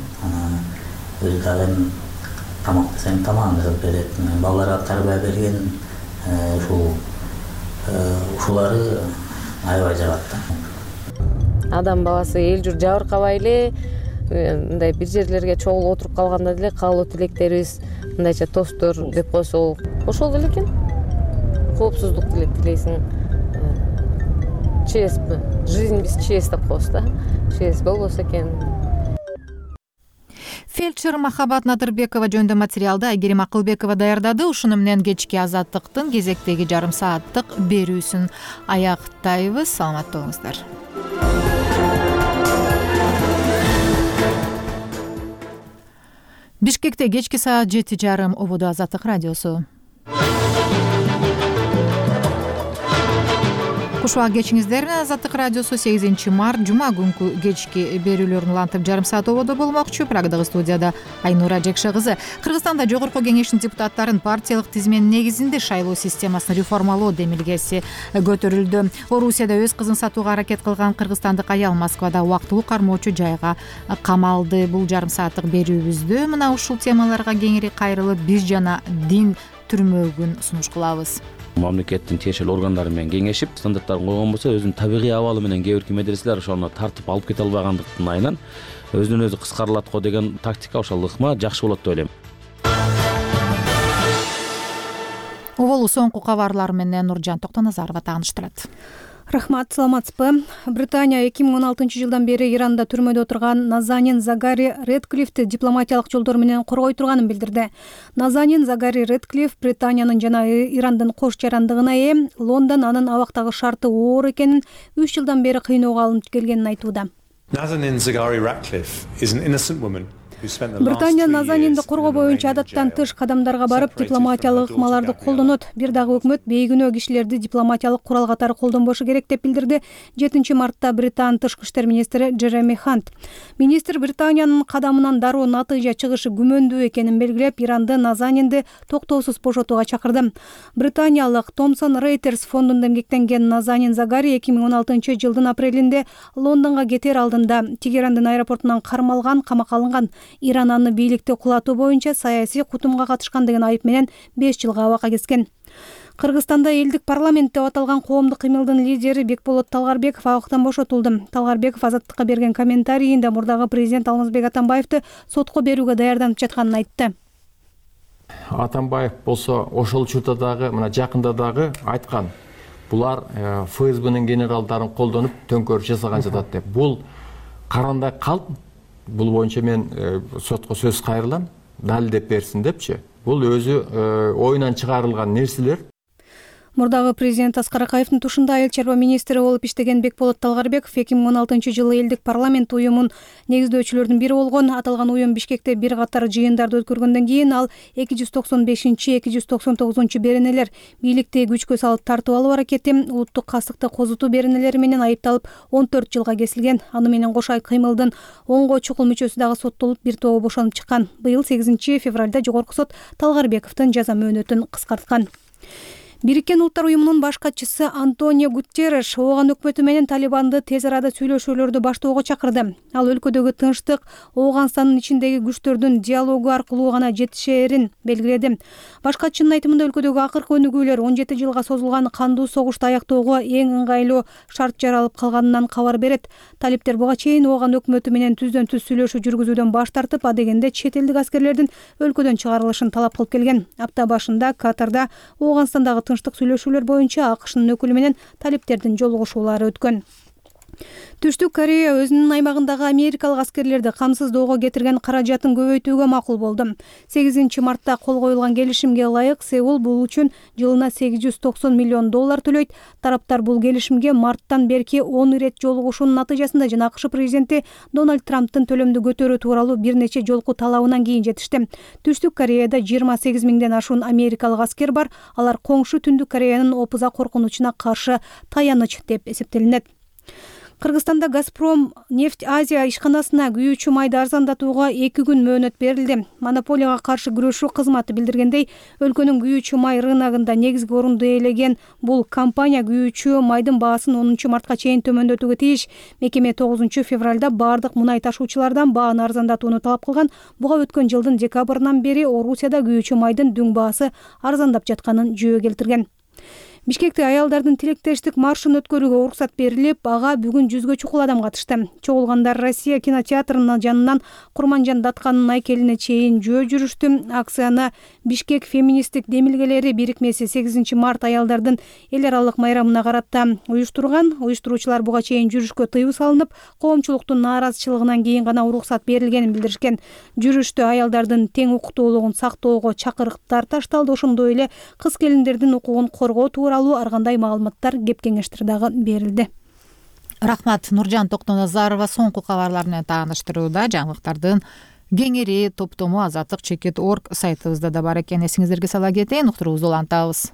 Өзү дагы тамак десең тамагын жасап берет, балдарга тарбия берген, ушул ушулары аябай жагат да. Адам баласы эл журт жабыркабай эле мындай бир жерлерге чогулуп отуруп калганда деле каалоо тилектерибиз, мындайча тосттор деп койсо ошол деле экен. коопсуздук тилейсиң. ЧС жизнь без ЧС деп коебуз да. ЧС болбосо экен. Фельдшер Махабат Надырбекова жөнүндө материалды Айгерим Акылбекова даярдады. Ушуну менен кечки Азаттыктын кезектеги жарым сааттык берүүсүн аяктайбыз. Саламатта болуңуздар. Бишкекте кечки саат жети жарым ободо Азаттык радиосу. Куш убак кечиңиздер. Азаттык радиосу сегизинчи март жума күнкү кечки берүүлөрүн улантып жарым саат ободо болмокчу. Прагдагы студияда Айнура Жекше кызы. Кыргызстанда жогорку кеңештин депутаттарын партиялык тизменин негизинде шайлоо системасын реформалоо демилгеси көтөрүлдү. Орусияда өз кызын сатууга аракет кылган кыргызстандык аял Москвада убактылуу кармоочу жайга камалды. Бул жарым сааттык берүүбүздө мына ушул темаларга кеңири кайрылып биз жана дин түрмөгүн сунуш кылабыз. Мамлекеттин тиешелүү органдары менен кеңешип, стандарттарын койгон болсо, өзүнүн табигый абалы менен кээ бир медреселер ошону тартып алып кете албагандыктын айынан өзүнөн өзү кыскарылат го деген тактика ошол ыкма жакшы болот деп ойлойм. Оболу соңку кабарлар менен Нуржан Токтоназарова тааныштырат. Рахмат, саламатсызбы. Британия эки миң он алтынчы жылдан бери Иранда түрмөдө отурган Назанин Загари Редклифти дипломатиялык жолдор менен коргой турганын билдирди. Назанин Загари Редклиф Британиянын жана Ирандын кош жарандыгына ээ. Лондон анын абактагы шарты оор экенин, үч жылдан бери кыйноого алынып келгенин айтууда. Nazanin Zaghari Ratcliffe is an innocent woman. Британия Назанинди коргоо боюнча адаттан тыш кадамдарга барып, дипломатиялык ыкмаларды колдонот. Бир дагы өкмөт бейгүнөө кишилерди дипломатиялык курал катары колдонбошу керек деп билдирди жетинчи мартта Британ тышкы иштер министри Джереми Хант. Министр Британиянын кадамынан дароо натыйжа чыгышы күмөндүү экенин белгилеп, Иранды Назанинди токтоосуз бошотууга чакырды. Британиялык Thomson Reuters фондунда эмгектенген Назанин Загари эки миң он алтынчы жылдын апрелинде Лондонго кетер алдында Тегерандын аэропортунан кармалган, камакка алынган. Иран аны бийликти кулатуу боюнча саясий кутумга катышкан деген айып менен беш жылга абакка кескен. Кыргызстанда элдик парламент деп аталган коомдук кыймылдын лидери Бекболот Талгарбеков абактан бошотулду. Талгарбеков Азаттыкка берген комментарийинде мурдагы президент Алмазбек Атамбаевди сотко берүүгө даярданып жатканын айтты. Атамбаев болсо ошол учурда дагы, мына жакында дагы айткан. Булар ФСБнын генералдарын колдонуп төңкөрүш жасаган жатат деп. Бул карандай калп. Бул боюнча мен сотко сөз кайрылам, далилдеп берсин депчи. Бул өзү оюнан чыгарылган нерселер. Мурдагы президент Аскар Акаевдин тушунда айыл чарба министри болуп иштеген Бекболот Талгарбеков эки миң он алтынчы жылы элдик парламент уюмун негиздөөчүлөрдүн бири болгон. Аталган уюм Бишкекте бир катар жыйындарды өткөргөндөн кийин ал эки жүз токсон бешинчи эки жүз токсон тогузунчу беренелер, бийликти күчкө салып тартып алуу аракети, улуттук кастыкты козутуу беренелери менен айыпталып он төрт жылга кесилген. Аны менен кошо кыймылдын онго чукул мүчөсү дагы соттолуп, бир тобу бошонуп чыккан. Быйыл сегизинчи февралда жогорку сот Талгарбековдун жаза мөөнөтүн кыскарткан. Бириккен Улуттар уюмунун баш катчысы Антонио Гутерреш ооган өкмөтү менен Талибанды тез арада сүйлөшүүлөрдү баштоого чакырды. Ал өлкөдөгү тынчтык Ооганстандын ичиндеги күчтөрдүн диалогу аркылуу гана жетишээрин белгиледи. Баш катчынын айтымында өлкөдөгү акыркы өнүгүүлөр он жети жылга созулган кандуу согушту аяктоого эң ыңгайлуу шарт жаралып калганынан кабар берет. Талиптер буга чейин ооган өкмөтү менен түздөн түз сүйлөшүү жүргүзүүдөн баш тартып, адегенде чет элдик аскерлердин өлкөдөн чыгарылышын талап кылып келген. Апта башында Катарда Ооганстандагы тынчтык сүйлөшүүлөр боюнча АКШнын өкүлү менен талиптердин жолугушуулары өткөн. Түштүк Корея өзүнүн аймагындагы америкалык аскерлерди камсыздоого кетирген каражатын көбөйтүүгө макул болду. сегизинчи мартта кол коюлган келишимге ылайык Сеул бул үчүн жылына сегиз жүз токсон миллион доллар төлөйт. Тараптар бул келишимге марттан берки он ирет жолугушуунун натыйжасында жана АКШ президенти Дональд Трамптын төлөмдү көтөрүү тууралуу бир нече жолку талабынан кийин жетишти. Түштүк Кореяда жыйырма сегиз миңден ашуун америкалык аскер бар. Алар коңшу Түндүк Кореянын опуза коркунучуна каршы таяныч деп эсептелинет. Кыргызстанда Газпром нефть Азия ишканасына күйүүчү майды арзандатууга эки күн мөөнөт берилди. Монополияга каршы күрөшүү кызматы билдиргендей, өлкөнүн күйүүчү май рыногунда негизги орунду ээлеген бул компания күйүүчү майдын баасын онунчу мартка чейин төмөндөтүүгө тийиш. Мекеме тогузунчу февралда бардык мунай ташуучулардан бааны арзандатууну талап кылган. Буга өткөн жылдын декабрынан бери Орусияда күйүүчү майдын дүң баасы арзандап жатканын жөө келтирген. Бишкекте аялдардын тилектештик маршын өткөрүүгө уруксат берилип, ага бүгүн жүзгө чукул адам катышты. Чогулгандар Россия кинотеатрынын жанынан Курманжан Датканын айкелине чейин жөө жүрүштү. Акцияны Бишкек феминисттик демилгелери бирикмеси сегизинчи март аялдардын эл аралык майрамына карата уюштурган. Уюштуруучулар буга чейин жүрүшкө тыюу салынып, коомчулуктун нааразычылыгынан кийин гана уруксат берилгенин билдиришкен. Жүрүштө аялдардын тең укуктуулугун сактоого чакырыктар ташталды. Ошондой эле кыз келиндердин укугун коргоо тууралуу ар кандай маалыматтар, кеп кеңештер дагы берилди. Рахмат. Нуржан Токтоназарова соңку кабарлар менен тааныштырууда. Жаңылыктардын кеңири топтому азаттык чекит точка орг сайтыбызда да бар экен. Эсиңиздерге сала кетейин, уктуруубузду улантабыз.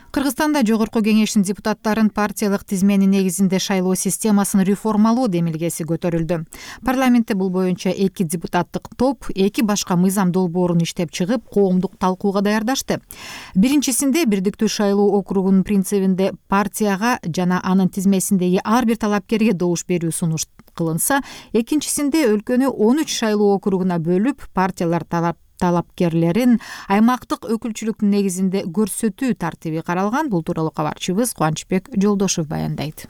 Кыргызстанда Жогорку Кеңештин депутаттарын партиялык тизменин негизинде шайлоо системасын реформалоо демилгеси көтөрүлдү. Парламентте бул боюнча эки депутаттык топ эки башка мыйзам долбоорун иштеп чыгып, коомдук талкууга даярдашты. Биринчисинде бирдиктүү шайлоо округунун принцибинде партияга жана анын тизмесиндеги ар бир талапкерге добуш берүү сунуш кылынса, экинчисинде өлкөнү он үч шайлоо округуна бөлүп, партиялар талап талапкерлерин аймактык өкүлчүлүктүн негизинде көрсөтүү тартиби каралган. Бул тууралуу кабарчыбыз Кубанычбек Жолдошев баяндайт.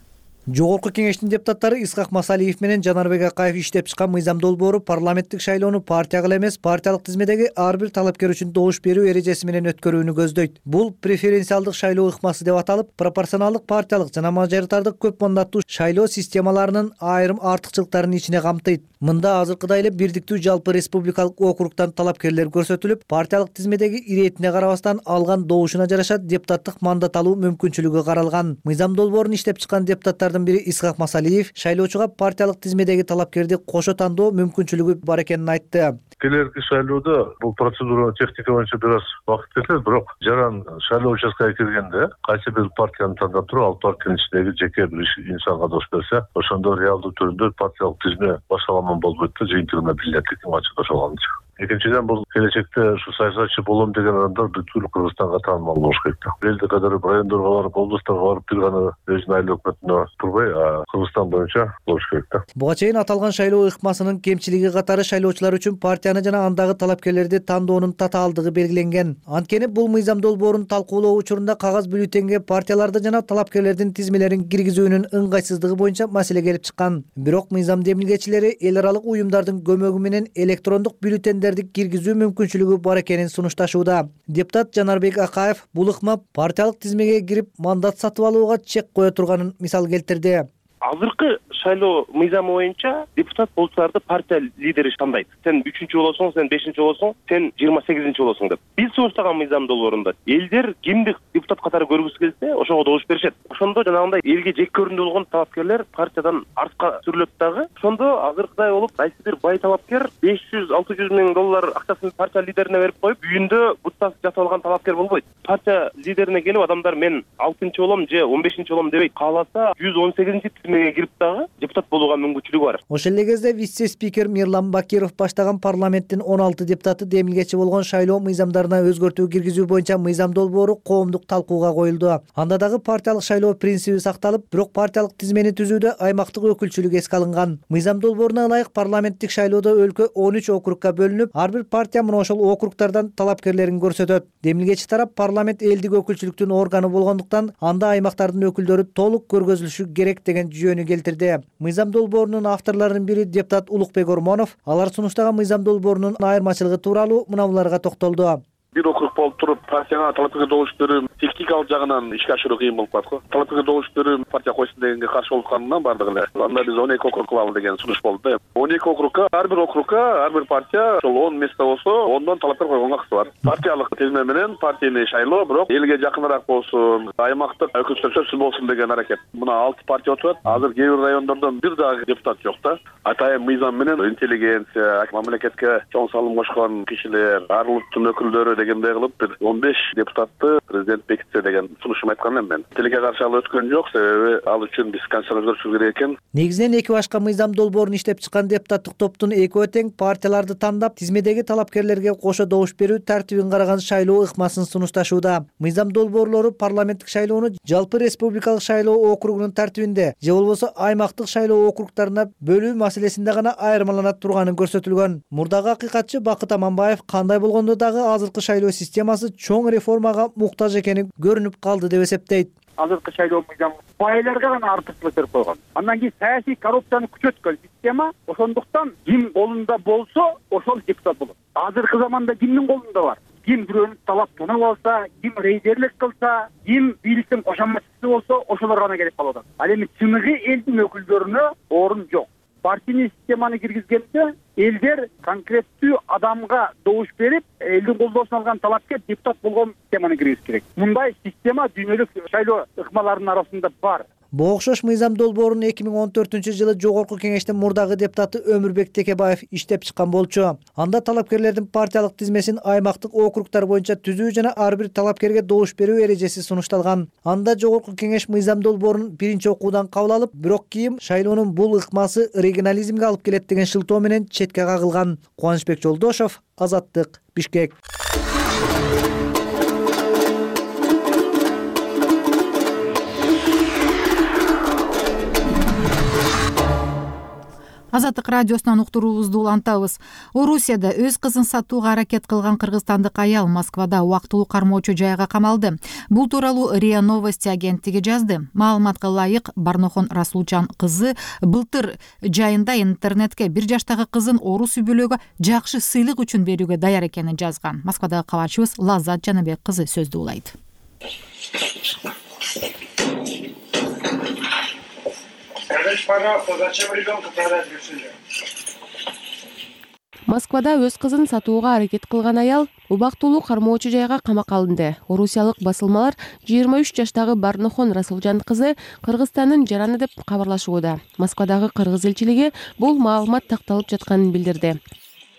Жогорку Кеңештин депутаттары Исхак Масалиев менен Жанарбек Акаев иштеп чыккан мыйзам долбоору парламенттик шайлоону партияга эмес, партиялык тизмедеги ар бир талапкер үчүн добуш берүү эрежеси менен өткөрүүнү көздөйт. Бул преференциалдык шайлоо ыкмасы деп аталып, пропорционалдык партиялык жана мажоритардык көп мандаттуу шайлоо системаларынын айрым артыкчылыктарын ичине камтыйт. Мында азыркыдай эле бирдиктүү жалпы республикалык округтан талапкерлер көрсөтүлүп, партиялык тизмедеги иретине карабастан алган добушуна жараша депутаттык мандат алуу мүмкүнчүлүгү каралган. Мыйзам долбоорун иштеп чыккан депутаттардын бири Исхак Масалиев шайлоочуга партиялык тизмедеги талапкерди кошо тандоо мүмкүнчүлүгү бар экенин айтты. Келерки шайлоодо бул процедура техника боюнча бир аз убакыт кетет, бирок жаран шайлоо участкага киргенде кайсы бир партияны тандап туруп, ал партиянын ичиндеги жеке бир инсанга добуш берсе, ошондо реалдуу түрдө партиялык тизме башаламан болбойт да, жыйынтыгына билинет экен ачык ошолганча. Экинчиден, бул келечекте ушу саясатчы болом деген адамдар бүткүл Кыргызстанга таанымал болуш керек да. Элди кадырып, райондорго барып, облустарга барып, бир гана өзүнүн айыл өкмөтүнө турбай, Кыргызстан боюнча болуш керек да. Буга чейин аталган шайлоо ыкмасынын кемчилиги катары шайлоочулар үчүн партияны жана андагы талапкерлерди тандоонун татаалдыгы белгиленген. Анткени бул мыйзам долбоорун талкуулоо учурунда кагаз бюллетенге партияларды жана талапкерлердин тизмелерин киргизүүнүн ыңгайсыздыгы боюнча маселе келип чыккан. Бирок мыйзам демилгечилери эл аралык уюмдардын көмөгү менен электрондук бюллетендер киргизүү мүмкүнчүлүгү бар экенин сунушташууда. Депутат Жанарбек Акаев бул ыкма партиялык тизмеге кирип мандат сатып алууга чек кое турганын мисал келтирди. Азыркы шайлоо мыйзамы боюнча депутат болчуларды партия лидери тандайт. Сен үчүнчү болосуң, сен бешинчи болосуң, сен жыйырма сегизинчи болосуң деп. Биз сунуштаган мыйзам долбоорунда элдер кимди депутат катары көргүсү келсе, ошого добуш беришет. Ошондо жанагындай элге жек көрүндү болгон талапкерлер партиядан артка сүрүлөт дагы. Ошондо азыркыдай болуп, кайсы бир бай талапкер беш жүз алты жүз миң доллар акчасын партия лидерине берип коюп, үйүндө бутас жатып алган талапкер болбойт. Партия лидерине келип адамдар мен алтынчы болом же он бешинчи болом дебейт. Кааласа жүз он сегизинчи тизмеге кирип дагы депутат болууга мүмкүнчүлүгү бар. Ошол эле кезде вице-спикер Мирлан Бакиров баштаган парламенттин он алты депутаты демилгечи болгон шайлоо мыйзамдарына өзгөртүү киргизүү боюнча мыйзам долбоору коомдук талкууга коюлду. Анда дагы партиялык шайлоо принциби сакталып, бирок партиялык тизмени түзүүдө аймактык өкүлчүлүк эске алынган. Мыйзам долбооруна ылайык парламенттик шайлоодо өлкө он үч округка бөлүнүп, ар бир партия мына ошол округтардан талапкерлерин көрсөтөт. Демилгечи тарап парламент элдик өкүлчүлүктүн органы болгондуктан анда аймактардын өкүлдөрү толук көргөзүлүшү керек деген жүйөнү келтирди. Мыйзам долбоорунун авторлорунун бири депутат Улукбек Ормонов алар сунуштаган мыйзам долбоорунун айырмачылыгы тууралуу мынабуларга токтолду. Бир округ болуп туруп, партияга талапкерге добуш берүү техникалык жагынан ишке ашыруу кыйын болуп калат го. Талапкерге добуш берүү партия койсун дегенге каршы болуп калганынан бардыгы эле. Анда биз он эки округ кылалы деген сунуш болду да. он эки округка, ар бир округка, ар бир партия ошол он место болсо, ондон талапкер койгонго акысы бар. Партиялык тизме менен партийный шайлоо, бирок элге жакыныраак болсун, аймактык өкүлчүлөр сөзсүз болсун деген аракет. Мына алты партия отурат. Азыр кээ бир райондордон бир дагы депутат жок да. Атайын мыйзам менен интеллигенция, мамлекетке чоң салым кошкон кишилер, ар улуттун өкүлдөрү дегендей кылып бир он беш депутатты президент бекитсе деген сунушум айткан элем мен. Тилекке каршы ал өткөн жок, себеби ал үчүн биз конституцияны өзгөртүшүбүз керек экен. Негизинен эки башка мыйзам долбоорун иштеп чыккан депутаттык топтун экөө тең партияларды тандап, тизмедеги талапкерлерге кошо добуш берүү тартибин караган шайлоо ыкмасын сунушташууда. Мыйзам долбоорлору парламенттик шайлоону жалпы республикалык шайлоо округунун тартибинде же болбосо аймактык шайлоо округтарына бөлүү маселесинде гана айырмалана турганын көрсөтүлгөн. Мурдагы акыйкатчы Бакыт Аманбаев кандай болгондо дагы азыркы шайлоо системасы чоң реформага муктаж экени көрүнүп калды деп эсептейт. Азыркы шайлоо мыйзамы байларга гана артыкчылык берип койгон. Андан кийин саясий коррупцияны күчөткөн система, ошондуктан ким колунда болсо ошол депутат болот. Азыркы заманда кимдин колунда бар? Ким бирөөнү талап тонап алса, ким рейдерлик кылса, ким бийликтин кошоматчысы болсо, ошолор гана келип калып атат. Ал эми чыныгы элдин өкүлдөрүнө орун жок. Партийный системаны киргизгенде элдер конкреттүү адамга добуш берип, элдин колдоосун алган талапкер депутат болгон системаны киргизиш керек. Мындай система дүйнөлүк шайлоо ыкмаларынын арасында бар. Буга окшош мыйзам долбоорун эки миң он төртүнчү жылы Жогорку Кеңештин мурдагы депутаты Өмүрбек Текебаев иштеп чыккан болчу. Анда талапкерлердин партиялык тизмесин аймактык округтар боюнча түзүү жана ар бир талапкерге добуш берүү эрежеси сунушталган. Анда Жогорку Кеңеш мыйзам долбоорун биринчи окуудан кабыл алып, бирок кийин шайлоонун бул ыкмасы регионализмге алып келет деген шылтоо менен четке кагылган. Кубанычбек Жолдошов, Азаттык, Бишкек. Азаттык радиосунан уктуруубузду улантабыз. Орусияда өз кызын сатууга аракет кылган кыргызстандык аял Москвада убактылуу кармоочу жайга камалды. Бул тууралуу РИА Новости агенттиги жазды. Маалыматка ылайык, Барнохон Расулжан кызы былтыр жайында интернетке бир жаштагы кызын орус үй-бүлөгө жакшы сыйлык үчүн берүүгө даяр экенин жазган. Москвадагы кабарчыбыз Лаззат Жаныбек кызы сөздү улайт. Скажите, пожалуйста, зачем ребенка продать решили? Москвада өз кызын сатууга аракет кылган аял убактылуу кармоочу жайга камакка алынды. Орусиялык басылмалар жыйырма үч жаштагы Барнохон Расулжан кызы Кыргызстандын жараны деп кабарлашууда. Москвадагы кыргыз элчилиги бул маалымат такталып жатканын билдирди.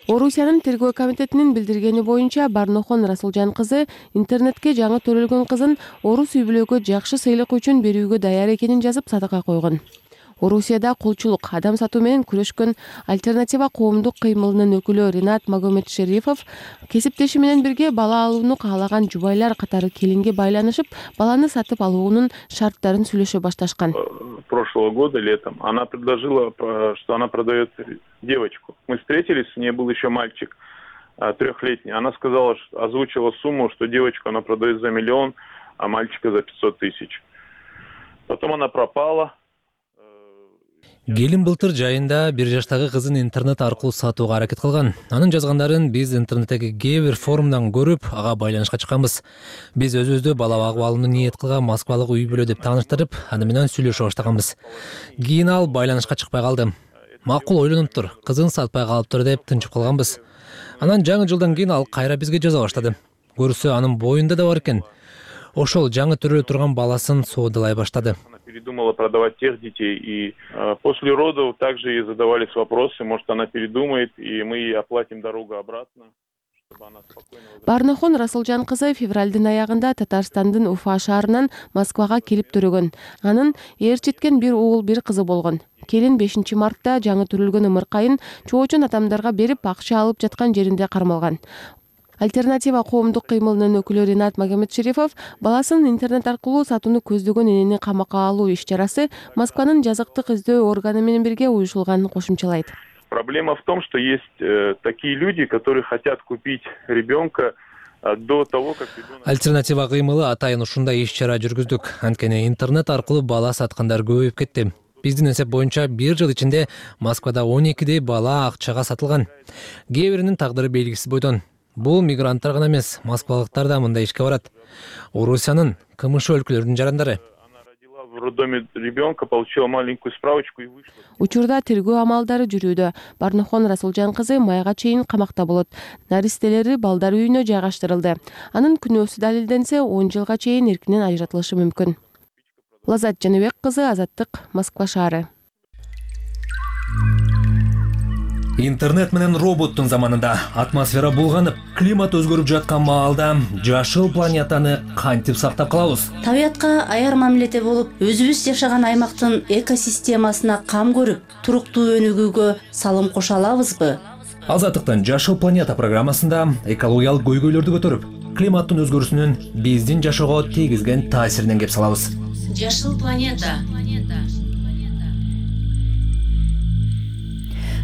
Орусиянын тергөө комитетинин билдиргени боюнча Барнохон Расулжан кызы интернетке жаңы төрөлгөн кызын орус үй-бүлөгө жакшы сыйлык үчүн берүүгө даяр экенин жазып сатыкка койгон. Орусияда кулчулук, адам сатуу менен күрөшкөн Альтернатива коомдук кыймылынын өкүлү Ринат Магомедшерифов кесиптеши менен бирге бала алууну каалаган жубайлар катары келинге байланышып, баланы сатып алуунун шарттарын сүйлөшө башташкан. Прошлого года летом она предложила, что она продает девочку. Мы встретились, у нее был еще мальчик трехлетний. Она сказала, что озвучила сумму, что девочку она продает за миллион, а мальчика за пятьсот тысяч. Потом она пропала. Келин былтыр жайында бир жаштагы кызын интернет аркылуу сатууга аракет кылган. Анын жазгандарын биз интернеттеги кээ бир форумдан көрүп, ага байланышка чыкканбыз. Биз өзүбүздү бала багып алууну ниет кылган Москвалык үй-бүлө деп тааныштырып, аны менен сүйлөшө баштаганбыз. Кийин ал байланышка чыкпай калды. Макул ойлонуп тур, кызын сатпай калыптыр деп тынчып калганбыз. Анан жаңы жылдан кийин ал кайра бизге жаза баштады. Көрсө анын боюнда да бар экен. Ошол жаңы төрөлө турган баласын соодалай баштады. Передумала продавать тех детей, и э, после родов также ей задавались вопросы, может она передумает, и мы ей оплатим дорогу обратно. Барнохон Расулжан кызы февралдын аягында Татарстандын Уфа шаарынан Москвага келип төрөгөн. Анын ээрчиткен бир уул, бир кызы болгон. Келин бешинчи мартта жаңы төрөлгөн ымыркайын чоочун адамдарга берип акча алып жаткан жеринде кармалган. Альтернатива коомдук кыймылынын өкүлү Ринат Магомедшерифов баласын интернет аркылуу сатууну көздөгөн энени камакка алуу иш-чарасы Москванын жазыктык издөө органы менен бирге уюшулганын кошумчалайт. Проблема в том, что есть э, такие люди, которые хотят купить ребенка э, до того, как ребенок... Альтернатива кыймылы атайын ушундай иш-чара жүргүздүк. Анткени интернет аркылуу бала саткандар көбөйүп кетти. Биздин эсеп боюнча бир жыл ичинде Москвада он экидей бала акчага сатылган. Кээ биринин тагдыры белгисиз бойдон. Бул мигранттар гана эмес, москвалыктар да мындай ишке барат. Орусиянын КМШ өлкөлөрүнүн жарандары. В роддоме ребенка получила маленькую справочку и вышла. Учурда тергөө амалдары жүрүүдө. Барнохон Расулжан кызы майга чейин камакта болот. Наристелери балдар үйүнө жайгаштырылды. Анын күнөөсү далилденсе он жылга чейин эркинен ажыратылышы мүмкүн. Лаззат Жаныбек кызы, Азаттык, Москва шаары. Интернет менен роботтун заманында атмосфера булганып, климат өзгөрүп жаткан маалда жашыл планетаны кантип сактап калабыз? Табиятка аяр мамиледе болуп, өзүбүз жашаган аймактын экосистемасына кам көрүп, туруктуу өнүгүүгө салым кошо алабызбы? Азаттыктын Жашыл планета программасында экологиялык көйгөйлөрдү көтөрүп, климаттын өзгөрүүсүнүн биздин жашоого тийгизген таасиринен кеп салабыз. Жашыл планета.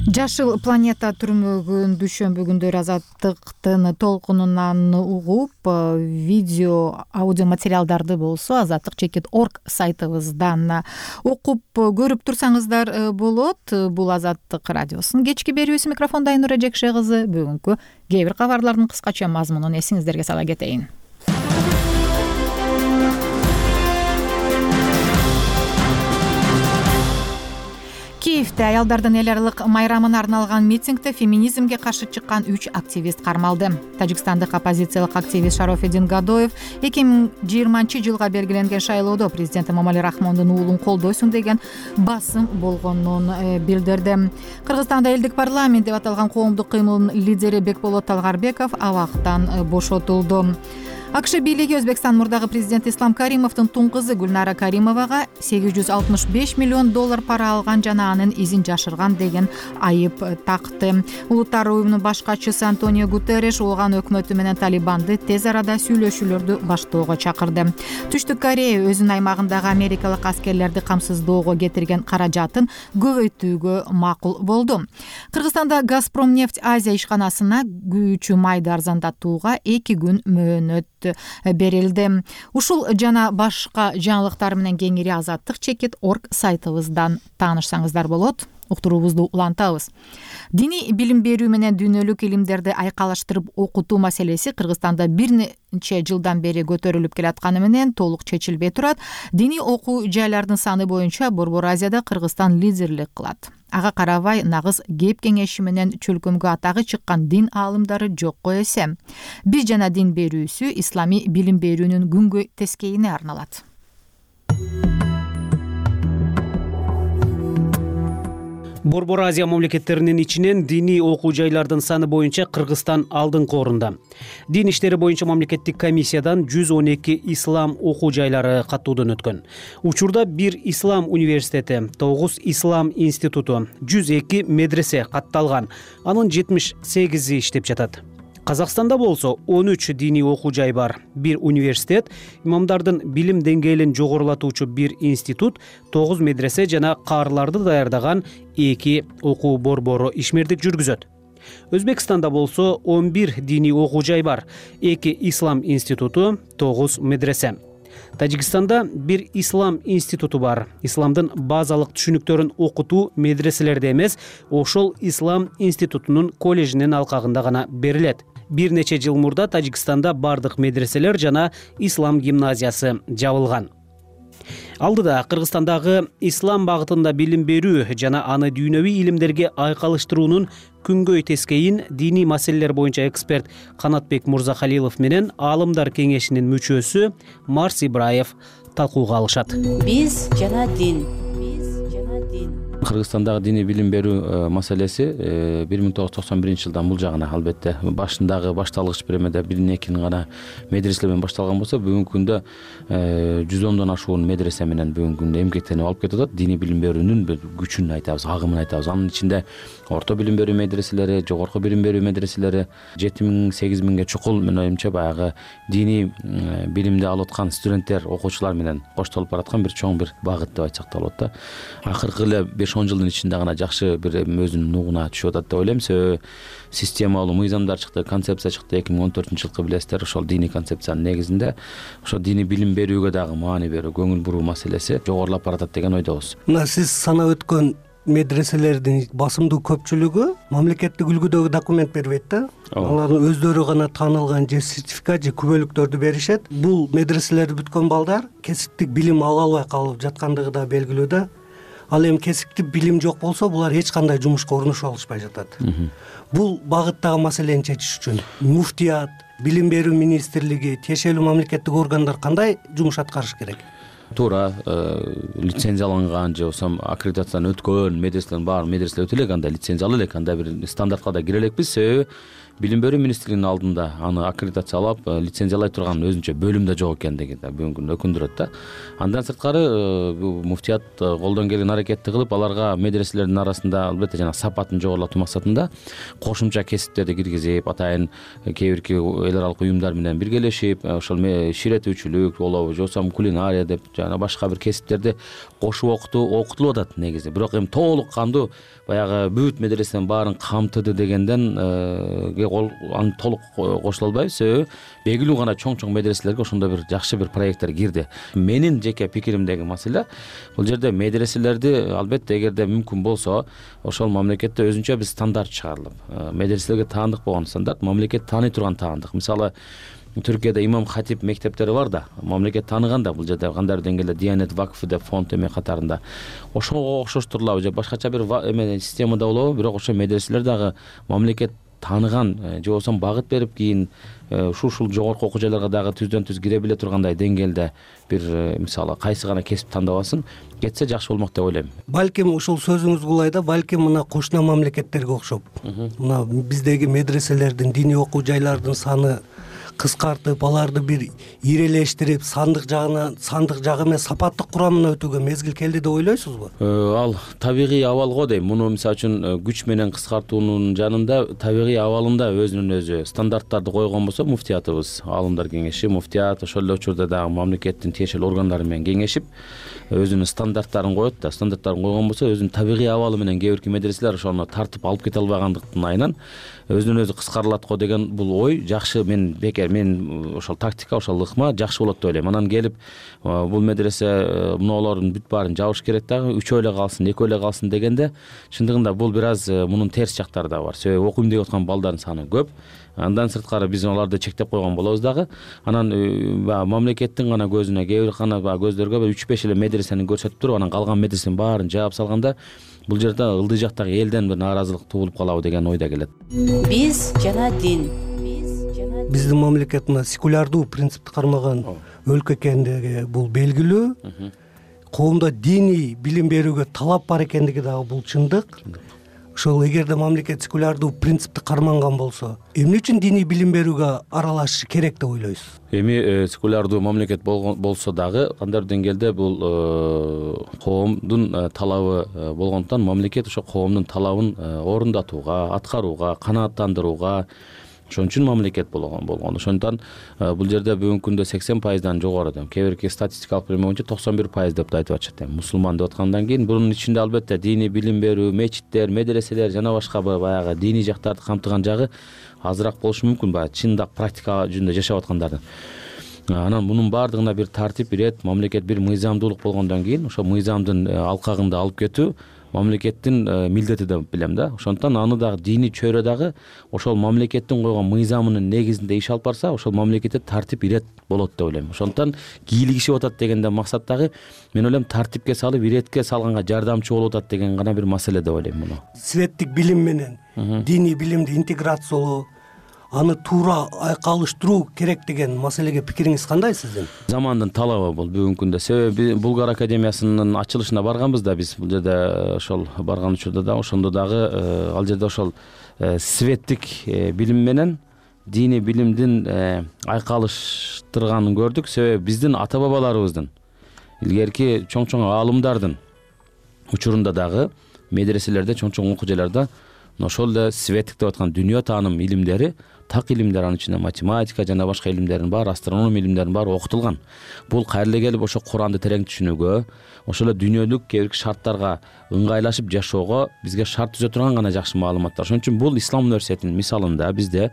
Жашыл планета түрмөгүн дүйшөмбү күндөрү Азаттыктын толкунунан угуп, видео, аудио материалдарды болсо азаттык чекит точка орг сайтыбыздан окуп көрүп турсаңыздар болот. Бул Азаттык радиосунун кечки берүүсү. Микрофонда Айнура Жекше кызы. Бүгүнкү кээ бир кабарлардын кыскача мазмунун эсиңиздерге сала кетейин. Киевде аялдардын эл аралык майрамына арналган митингде феминизмге каршы чыккан үч активист кармалды. Тажикстандык оппозициялык активист Шарофеддин Гадоев эки миң жыйырманчы жылга белгиленген шайлоодо президент Эмомали Рахмондун уулун колдойсуң деген басым болгонун билдирди. Кыргызстанда элдик парламент деп аталган коомдук кыймылдын лидери Бекболот Талгарбеков абактан бошотулду. АКШ бийлиги Өзбекстан мурдагы президенти Ислам Каримовдун тун кызы Гүлнара Каримовага сегиз жүз алтымыш беш миллион доллар пара алган жана анын изин жашырган деген айып такты. Улуттар уюмунун баш катчысы Антонио Гутерриш ооган өкмөтү менен Талибанды тез арада сүйлөшүүлөрдү баштоого чакырды. Түштүк Корея өзүнүн аймагындагы америкалык аскерлерди камсыздоого кетирген каражатын көбөйтүүгө макул болду. Кыргызстанда Газпромнефть Азия ишканасына күйүүчү майды арзандатууга эки күн мөөнөт берилди. Ушул жана башка жаңылыктар менен кеңири азаттык чекит точка орг сайтыбыздан таанышсаңыздар болот. Уктуруубузду улантабыз. Диний билим берүү менен дүйнөлүк илимдерди айкалаштырып окутуу маселеси Кыргызстанда бир нече жылдан бери көтөрүлүп келатканы менен толук чечилбей турат. Диний окуу жайлардын саны боюнча Борбор Азияда Кыргызстан лидерлик кылат. Ага карабай нагыз кеп кеңеши менен чөлкөмгө атагы чыккан дин аалымдары жокко эсе. Биз жана дин берүүсү исламий билим берүүнүн күнгөй тескейине арналат. Борбор Азия мамлекеттеринин ичинен диний окуу жайлардын саны боюнча Кыргызстан алдыңкы орунда. Дин иштери боюнча мамлекеттик комиссиядан жүз он эки ислам окуу жайлары каттоодон өткөн. Учурда бир ислам университети, тогуз ислам институту, жүз эки медресе катталган. Анын жетимиш сегизи иштеп жатат. Казакстанда болсо он үч диний окуу жай бар. Бир университет, имамдардын билим деңгээлин жогорулатуучу бир институт, тогуз медресе жана каарыларды даярдаган эки окуу борбору ишмердик жүргүзөт. Өзбекстанда болсо он бир диний окуу жай бар. эки ислам институту, тогуз медресе. Тажикстанда бир ислам институту бар. Исламдын базалык түшүнүктөрүн окутуу медреселерде эмес, ошол ислам институтунун коллежинин алкагында гана берилет. Бир нече жыл мурда Тажикстанда бардык медреселер жана ислам гимназиясы жабылган. Алдыда Кыргызстандагы ислам багытында билим берүү жана аны дүйнөвүй илимдерге айкалыштыруунун күнгөй тескейин диний маселелер боюнча эксперт Канатбек Мурзахалилов менен Аалымдар кеңешинин мүчөсү Марс Ибраев талкууга алышат. Биз жана дин. Кыргызстандагы диний билим берүү маселеси бир миң тогуз жүз токсон биринчи жылдан бул жагына албетте башындагы башталгыч премияда бирин экинин гана медреселер менен башталган болсо, бүгүнкү күндө жүз ондон ашуун медресе менен бүгүнкү күндө эмгектенип алып кетип атат. Диний билим берүүнүн бир күчүн айтабыз, агымын айтабыз. Анын ичинде орто билим берүү медреселери, жогорку билим берүү медреселери жети миң сегиз миңге чукул, менин оюмча баягы диний билимди алып аткан студенттер, окуучулар менен коштолуп бараткан бир чоң бир багыт деп айтсак да болот да. Акыркы эле беш он жылдын ичинде гана жакшы бир өзүнүн нугуна түшүп атат деп ойлойм. Себеби системалуу мыйзамдар чыкты, концепция чыкты. эки миң он төртүнчү жылкы билесиздер, ошол диний концепциянын негизинде ошо диний билим берүүгө дагы маани берүү, көңүл буруу маселеси жогорулап баратат деген ойдобуз. Мына сиз санап өткөн медреселердин басымдуу көпчүлүгү мамлекеттик үлгүдөгү документ бербейт да. Алардын өздөрү гана таанылган же сертификат же күбөлүктөрдү беришет. Бул медреселерди бүткөн балдар кесиптик билим ала албай калып жаткандыгы да белгилүү да. Ал эми кесиптик билим жок болсо, булар эч кандай жумушка орношо алышпай жатат. Бул багыттагы маселени чечиш үчүн муфтият, билим берүү министрлиги, тиешелүү мамлекеттик органдар кандай жумуш аткарыш керек? туура лицензияланган же болбосо аккредитациядан өткөн медреселердин баары медреселер өтө элек андай лицензиялуу элек, андай бир стандартка да кире элекпиз. Себеби билим берүү министрлигинин алдында аны аккредитациялап лицензиялай турган өзүнчө бөлүм да жок экендиги да бүгүнкү күндө өкүндүрөт да. Андан сырткары бул муфтият колдон келген аракетти кылып, аларга медреселердин арасында албетте жана сапатын жогорулатуу максатында кошумча кесиптерди киргизип, атайын кээ бирки эл аралык уюмдар менен биргелешип, ошол ширетүүчүлүк болобу же болбосо кулинария деп жана башка бир кесиптерди кошуп окутуу окутулуп атат негизи. Бирок эми толук кандуу баягы бүт медреселердин баарын камтыды дегенден аны толук кошула албайбыз. Себеби белгилүү гана чоң-чоң медреселерге ошондой бир жакшы бир проекттер кирди. Менин жеке пикиримдеги маселе бул жерде медреселерди албетте эгерде мүмкүн болсо ошол мамлекетте өзүнчө бир стандарт чыгарылып, медреселерге таандык болгон стандарт, мамлекет тааный турган таандык. Мисалы Түркияда имам хатип мектептери бар да, мамлекет тааныган да, бул жерде кандайдыр деңгээлде Диянет вакфы деп фонд эме катарында. Ошого окшоштурулабы же башкача бир эме системада болобу, бирок ошо медреселер дагы мамлекет тааныган же болбосо багыт берип кийин ушул жогорку окуу жайларга дагы түздөн түз кире биле тургандай деңгээлде бир мисалы кайсы гана кесип тандабасын кетсе жакшы болмок деп ойлойм. Балким ушул сөзүңүз кулайда, балким мына кошуна мамлекеттерге окшоп, мына биздеги медреселердин, диний окуу жайлардын саны кыскартып, аларды бир ирелештирип, сандык жагына, сандык жагы менен сапаттык курамына өтүүгө мезгил келди деп ойлойсузбу? Ал табигый абал го дейм. Муну мисалы үчүн күч менен кыскартуунун жанында табигый абалында өзүнүн өзү стандарттарды койгон болсо, муфтиятыбыз, алымдар кеңеши, муфтият ошол эле учурда дагы мамлекеттин тиешелүү органдары менен кеңешип өзүнүн стандарттарын коет да, стандарттарын койгон болсо, өзүнүн табигый абалы менен кээ бирки медреселер ошону тартып алып кете албагандыктын айынан өзүнөн өзү кыскарылат го деген бул ой жакшы. Мен бекер мен ошол тактика, ошол ыкма жакшы болот деп ойлойм. Анан келип бул медресе мыналардын бүт баарын жабыш керек дагы, үчөө эле калсын, экөө эле калсын дегенде чындыгында бул бир аз мунун терс жактары да бар. Себеби окуйм деп аткан балдардын саны көп. Андан сырткары биз аларды чектеп койгон болобуз дагы. Анан мамлекеттин гана көзүнө, кээ бир гана көздөргө үч беш эле медресени көрсөтүп туруп, анан калган медресенин баарын жаап салганда бул жерде ылдый жактагы элден бир нааразылык туулуп калабы деген ой да келет. Биз жана дин. Биздин мамлекет мына секулярдуу принципти кармаган өлкө экендиги бул белгилүү. Коомдо диний билим берүүгө талап бар экендиги дагы бул чындык. Ошол эгерде мамлекет секулярдуу принципти карманган болсо, эмне үчүн диний билим берүүгө аралашышы керек деп ойлойсуз? Эми секулярдуу мамлекет болсо дагы кандайдыр деңгээлде бул коомдун талабы болгондуктан мамлекет ошо коомдун талабын орундатууга, аткарууга, канааттандырууга ошон үчүн мамлекет болгон болгон. Ошондуктан бул жерде бүгүнкү күндө сексен пайыздан жогору, кээ бирки статистикалык билим боюнча токсон бир пайыз деп да айтып атышат. Мусулман деп аткандан кийин бунун ичинде албетте диний билим берүү, мечиттер, медреселер жана башка баягы диний жактарды камтыган жагы азыраак болушу мүмкүн, баягы чындап практика жүзүндө жашап аткандардын. Анан мунун баардыгына бир тартип, бир эт, мамлекет бир мыйзамдуулук болгондон кийин ошо мыйзамдын алкагында алып кетүү мамлекеттин милдети деп билем да. Ошондуктан аны дагы диний чөйрө дагы ошол мамлекеттин койгон мыйзамынын негизинде иш алып барса, ошол мамлекетте тартип, ирет болот деп ойлойм. Ошондуктан кийлигишип атат дегенден максат дагы мен ойлойм тартипке салып, иретке салганга жардамчы болуп атат деген гана бир маселе деп ойлойм муну. Светтик билим менен диний билимди интеграциялоо, аны туура айкалыштыруу керек деген маселеге пикириңиз кандай сиздин? Замандын талабы бул бүгүнкү күндө. Себеби Булгар академиясынын ачылышына барганбыз да биз. Бул жерде ошол барган учурда да ошондо дагы ал жерде ошол светтик билим менен диний билимдин айкалыштырганын көрдүк. Себеби биздин ата бабаларыбыздын, илгерки чоң-чоң аалымдардын учурунда дагы медреселерде, чоң-чоң окуу жайларда ошол эле светтик деп аткан дүйнө тааным илимдери, так илимдер, анын ичинде математика жана башка илимдердин баары, астрономия илимдеринин баары окутулган. Бул кайра эле келип ошо Куранды терең түшүнүүгө, ошол эле дүйнөлүк кээ бир шарттарга ыңгайлашып жашоого бизге шарт түзө турган гана жакшы маалыматтар. Ошон үчүн бул Ислам университетинин мисалында бизде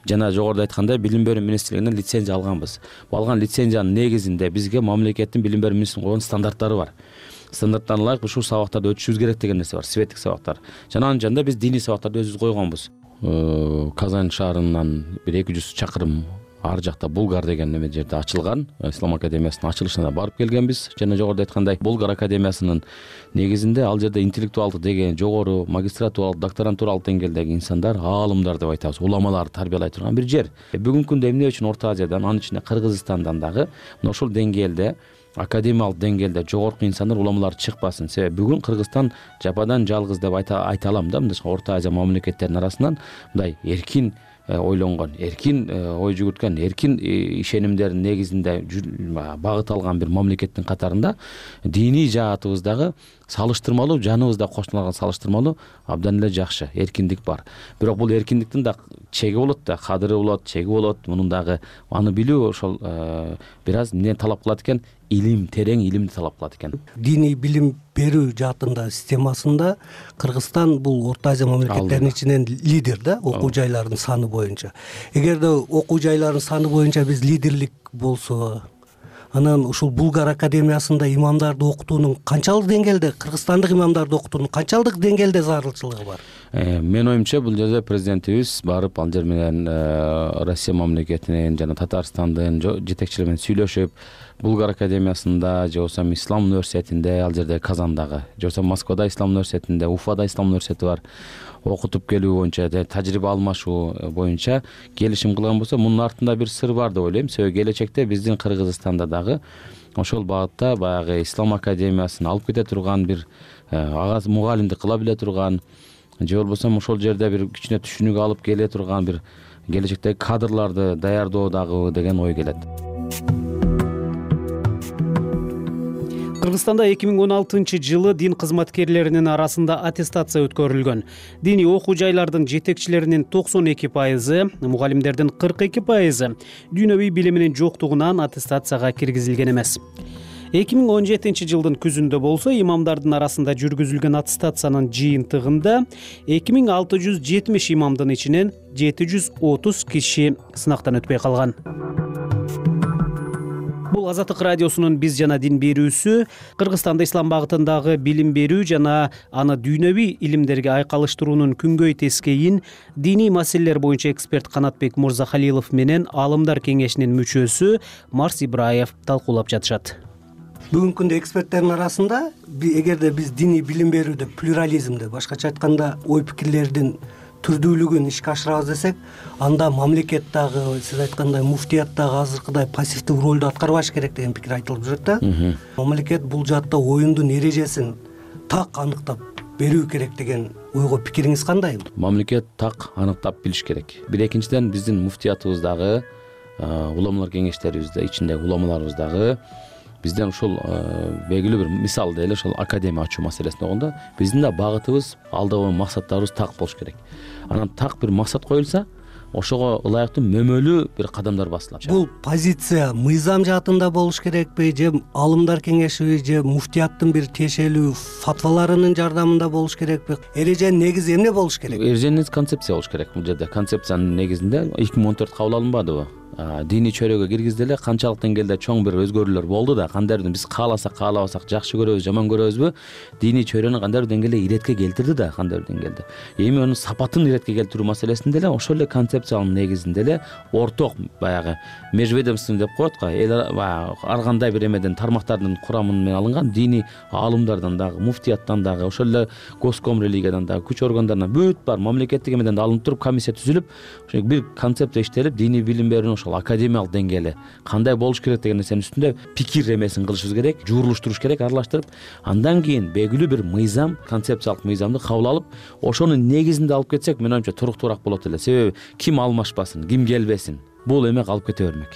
жана жогоруда айткандай билим берүү министрлигинен лицензия алганбыз. Бул алган лицензиянын негизинде бизге мамлекеттин билим берүү министрлигинин койгон стандарттары бар. Стандарттарына ылайык ушул сабактарды өтүшүбүз керек деген нерсе бар, светтик сабактар. Жана анын жанында биз диний сабактарды өзүбүз койгонбуз. Казань шаарынан бир эки жүз чакырым ар жакта Булгар деген неме жерде ачылган Ислам академиясынын ачылышына барып келгенбиз. Жана жогоруда айткандай Булгар академиясынын негизинде ал жерде интеллектуалдык деген жогору магистратуралык, докторантуралык деңгээлдеги инсандар, аалымдар деп айтабыз, уламаларды тарбиялай турган бир жер. Бүгүнкү күндө эмне үчүн Орто Азиядан, анын ичинде Кыргызстандан дагы ошол деңгээлде академиялык деңгээлде жогорку инсандар, уламалар чыкпасын. Себеби бүгүн Кыргызстан жападан жалгыз деп айта айта алам да, мындай Орто Азия мамлекеттеринин арасынан мындай эркин ойлонгон, эркин ой жүгүрткөн, эркин ишенимдердин негизинде багыт алган бир мамлекеттин катарында диний жаатыбыздагы салыштырмалуу, жаныбызда кошуналган салыштырмалуу абдан эле жакшы эркиндик бар. Бирок бул эркиндиктин да чеги болот да, кадыры болот, чеги болот. Мунун дагы аны билүү ошол бир аз эмне талап кылат экен? Илим, терең илимди талап кылат экен. Диний билим берүү жаатында системасында Кыргызстан бул Орто Азия мамлекеттеринин ичинен лидер да, окуу жайлардын саны боюнча. Эгерде окуу жайлардын саны боюнча биз лидерлик болсо, анан ушул Булгар академиясында имамдарды окутуунун канчалык деңгээлде, кыргызстандык имамдарды окутуунун канчалык деңгээлде зарылчылыгы бар? Мен оюмча бул жерде президентибиз барып ал жер менен Россия мамлекетинин жана Татарстандын жетекчилери менен сүйлөшүп, Булгар академиясында, же болбосо Ислам университетинде, ал жерде Казандагы, же болбосо Москвада Ислам университетинде, Уфада Ислам университети бар, окутуп келүү боюнча, тажрыйба алмашуу боюнча келишим кылган болсо, мунун артында бир сыр бар деп ойлойм. Себеби келечекте биздин Кыргызстанда дагы ошол багытта баягы Ислам академиясын алып кете турган бир ага мугалимдик кыла биле турган, же болбосо ошол жерде бир кичине түшүнүк алып келе турган бир келечектеги кадрларды даярдоо дагы деген ой келет. Кыргызстанда эки миң он алтынчы жылы дин кызматкерлеринин арасында аттестация өткөрүлгөн. Диний окуу жайлардын жетекчилеринин токсон эки пайызы, мугалимдердин кырк эки пайызы дүйнөвүй билиминин жоктугунан аттестацияга киргизилген эмес. эки миң он жетинчи жылдын күзүндө болсо, имамдардын арасында жүргүзүлгөн аттестациянын жыйынтыгында эки миң алты жүз жетимиш имамдын ичинен жети жүз отуз киши сынактан өтпөй калган. Бул Азаттык радиосунун биз жана дин берүүсү. Кыргызстанда ислам багытындагы билим берүү жана аны дүйнөвүй илимдерге айкалыштыруунун күнгөй тескейин диний маселелер боюнча эксперт Канатбек Мурзахалилов менен Аалымдар кеңешинин мүчөсү Марс Ибраев талкуулап жатышат. Бүгүнкү күндө эксперттердин арасында эгерде биз диний билим берүүдө плюрализмди, башкача айтканда ой пикирлердин түрдүүлүгүн ишке ашырабыз десек, анда мамлекет дагы, сиз айткандай муфтият дагы азыркыдай пассивдүү ролду аткарбаш керек деген пикир айтылып жүрөт да. Мамлекет бул жаатта оюндун эрежесин так аныктап берүү керек деген ойго пикириңиз кандай? Мамлекет так аныктап билиш керек. Бир экинчиден биздин муфтиятыбыздагы, уламалар кеңештерибизде, ичиндеги уламаларыбыздагы бизден ушул белгилүү бир мисал эле ошол академия ачуу маселесин болгондо биздин да багытыбыз, алдагы максаттарыбыз так болуш керек. Анан так бир максат коюлса, ошого ылайыктуу мөмөлүү бир кадамдар басылат. Бул позиция мыйзам жаатында болуш керекпи, же Аалымдар кеңеши, же муфтияттын бир тиешелүү фатваларынын жардамында болуш керекпи? Эреженин негизи эмне болуш керек? Эреженин концепция болуш керек. Бул жерде концепциянын негизинде эки миң он төрт кабыл алынбадыбы? Диний чөйрөгө киргизди эле, канчалык деңгээлде чоң бир өзгөрүүлөр болду да, кандайдыр биз кааласак, каалабасак, жакшы көрөбүз, жаман көрөбүзбү, диний чөйрөнү кандайдыр деңгээлде иретке келтирди да, кандайдыр деңгээлде. Эми анын сапатын иретке келтирүү маселесинде эле ошол эле концепциянын негизинде эле орток баягы межведомственный деп коет го, эл баягы ар кандай бир эмеден тармактардын курамы менен алынган диний аалымдардан дагы, муфтияттан дагы, ошол эле госком религиядан дагы, күч органдарынан бүт бар мамлекеттик эмеден да алынып туруп комиссия түзүлүп, ошо бир концепция иштелип, диний билим берүүнү академиялык деңгээли кандай болуш керек деген нерсенин үстүндө пикир эмесин кылышыбыз керек, жуурулуштуруш керек, аралаштырып, андан кийин белгилүү бир мыйзам, концепциялык мыйзамды кабыл алып, ошонун негизинде алып кетсек, мен оюмча туруктуураак болот эле. Себеби ким алмашпасын, ким келбесин, бул эме калып кете бермек.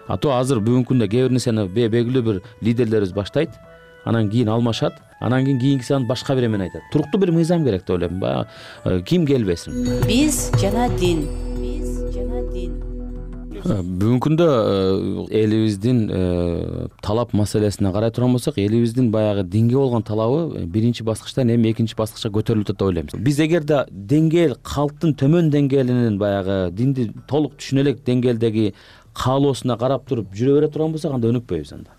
А то азыр бүгүнкү күндө кээ бир нерсени белгилүү бир лидерлерибиз баштайт, анан кийин алмашат, анан кийин кийинкиси анан башка бир эмени айтат. Туруктуу бир мыйзам керек деп ойлойм. Баягы ким келбесин. Биз жана дин. Бүгүнкү күндө элибиздин талап маселесине карай турган болсок, элибиздин баягы динге болгон талабы биринчи баскычтан эми экинчи баскычка көтөрүлүп атат деп ойлойм. Биз эгерде деңгээл, калктын төмөн деңгээлинин баягы динди толук түшүнө элек деңгээлдеги каалоосуна карап туруп жүрө бере турган болсок, анда өнүкпөйбүз анда.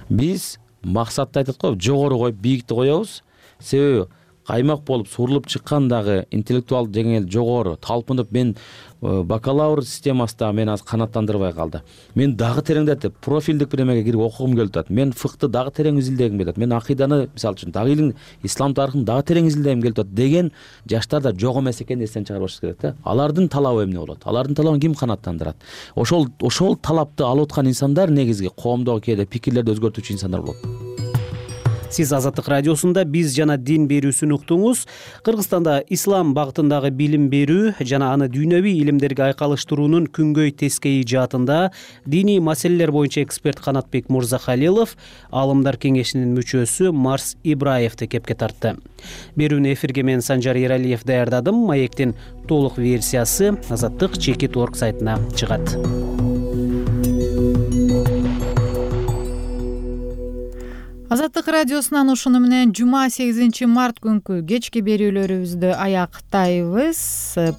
Биз максатты айтат го, жогору коюп, бийикти коебуз. Себеби каймак болуп сурулуп чыккан дагы интеллектуалдык деңгээл жогору талпынып мен бакалавр системасында мен азыр канааттандырбай калды. Мен дагы тереңдетип профилдик бир эмеге кирип окугум келип атат. Мен фыкты дагы терең изилдегим келип атат. Мен акыйданы мисалы үчүн дагы илин ислам тарыхын дагы терең изилдегим келип атат деген жаштар да жок эмес экенин эстен чыгарбаш керек да. Алардын талабы эмне болот? Алардын талабын ким канааттандырат? Ошол ошол талапты алып аткан инсандар негизги коомдогу кээде пикирлерди өзгөртүүчү инсандар болот. Сиз Азаттык радиосунда биз жана дин берүүсүн уктуңуз. Кыргызстанда ислам багытындагы билим берүү жана аны дүйнөвүй илимдерге айкалыштыруунун күнгөй тескейи жаатында диний маселелер боюнча эксперт Канатбек Мурзахалилов Аалымдар кеңешинин мүчөсү Марс Ибраевди кепке тартты. Берүүнү эфирге мен Санжар Эралиев даярдадым. Маектин толук версиясы азаттык чекит точка орг сайтына чыгат. Азаттык радиосунан ушуну менен жума сегизинчи март күнкү кечки берүүлөрүбүздү аяктайбыз.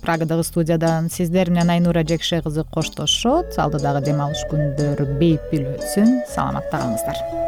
Прагадагы студиядан сиздер менен Айнура Жекше кызы коштошот. Алдыдагы дем алыш күндөр бейпил өтсүн. Саламатта калыңыздар.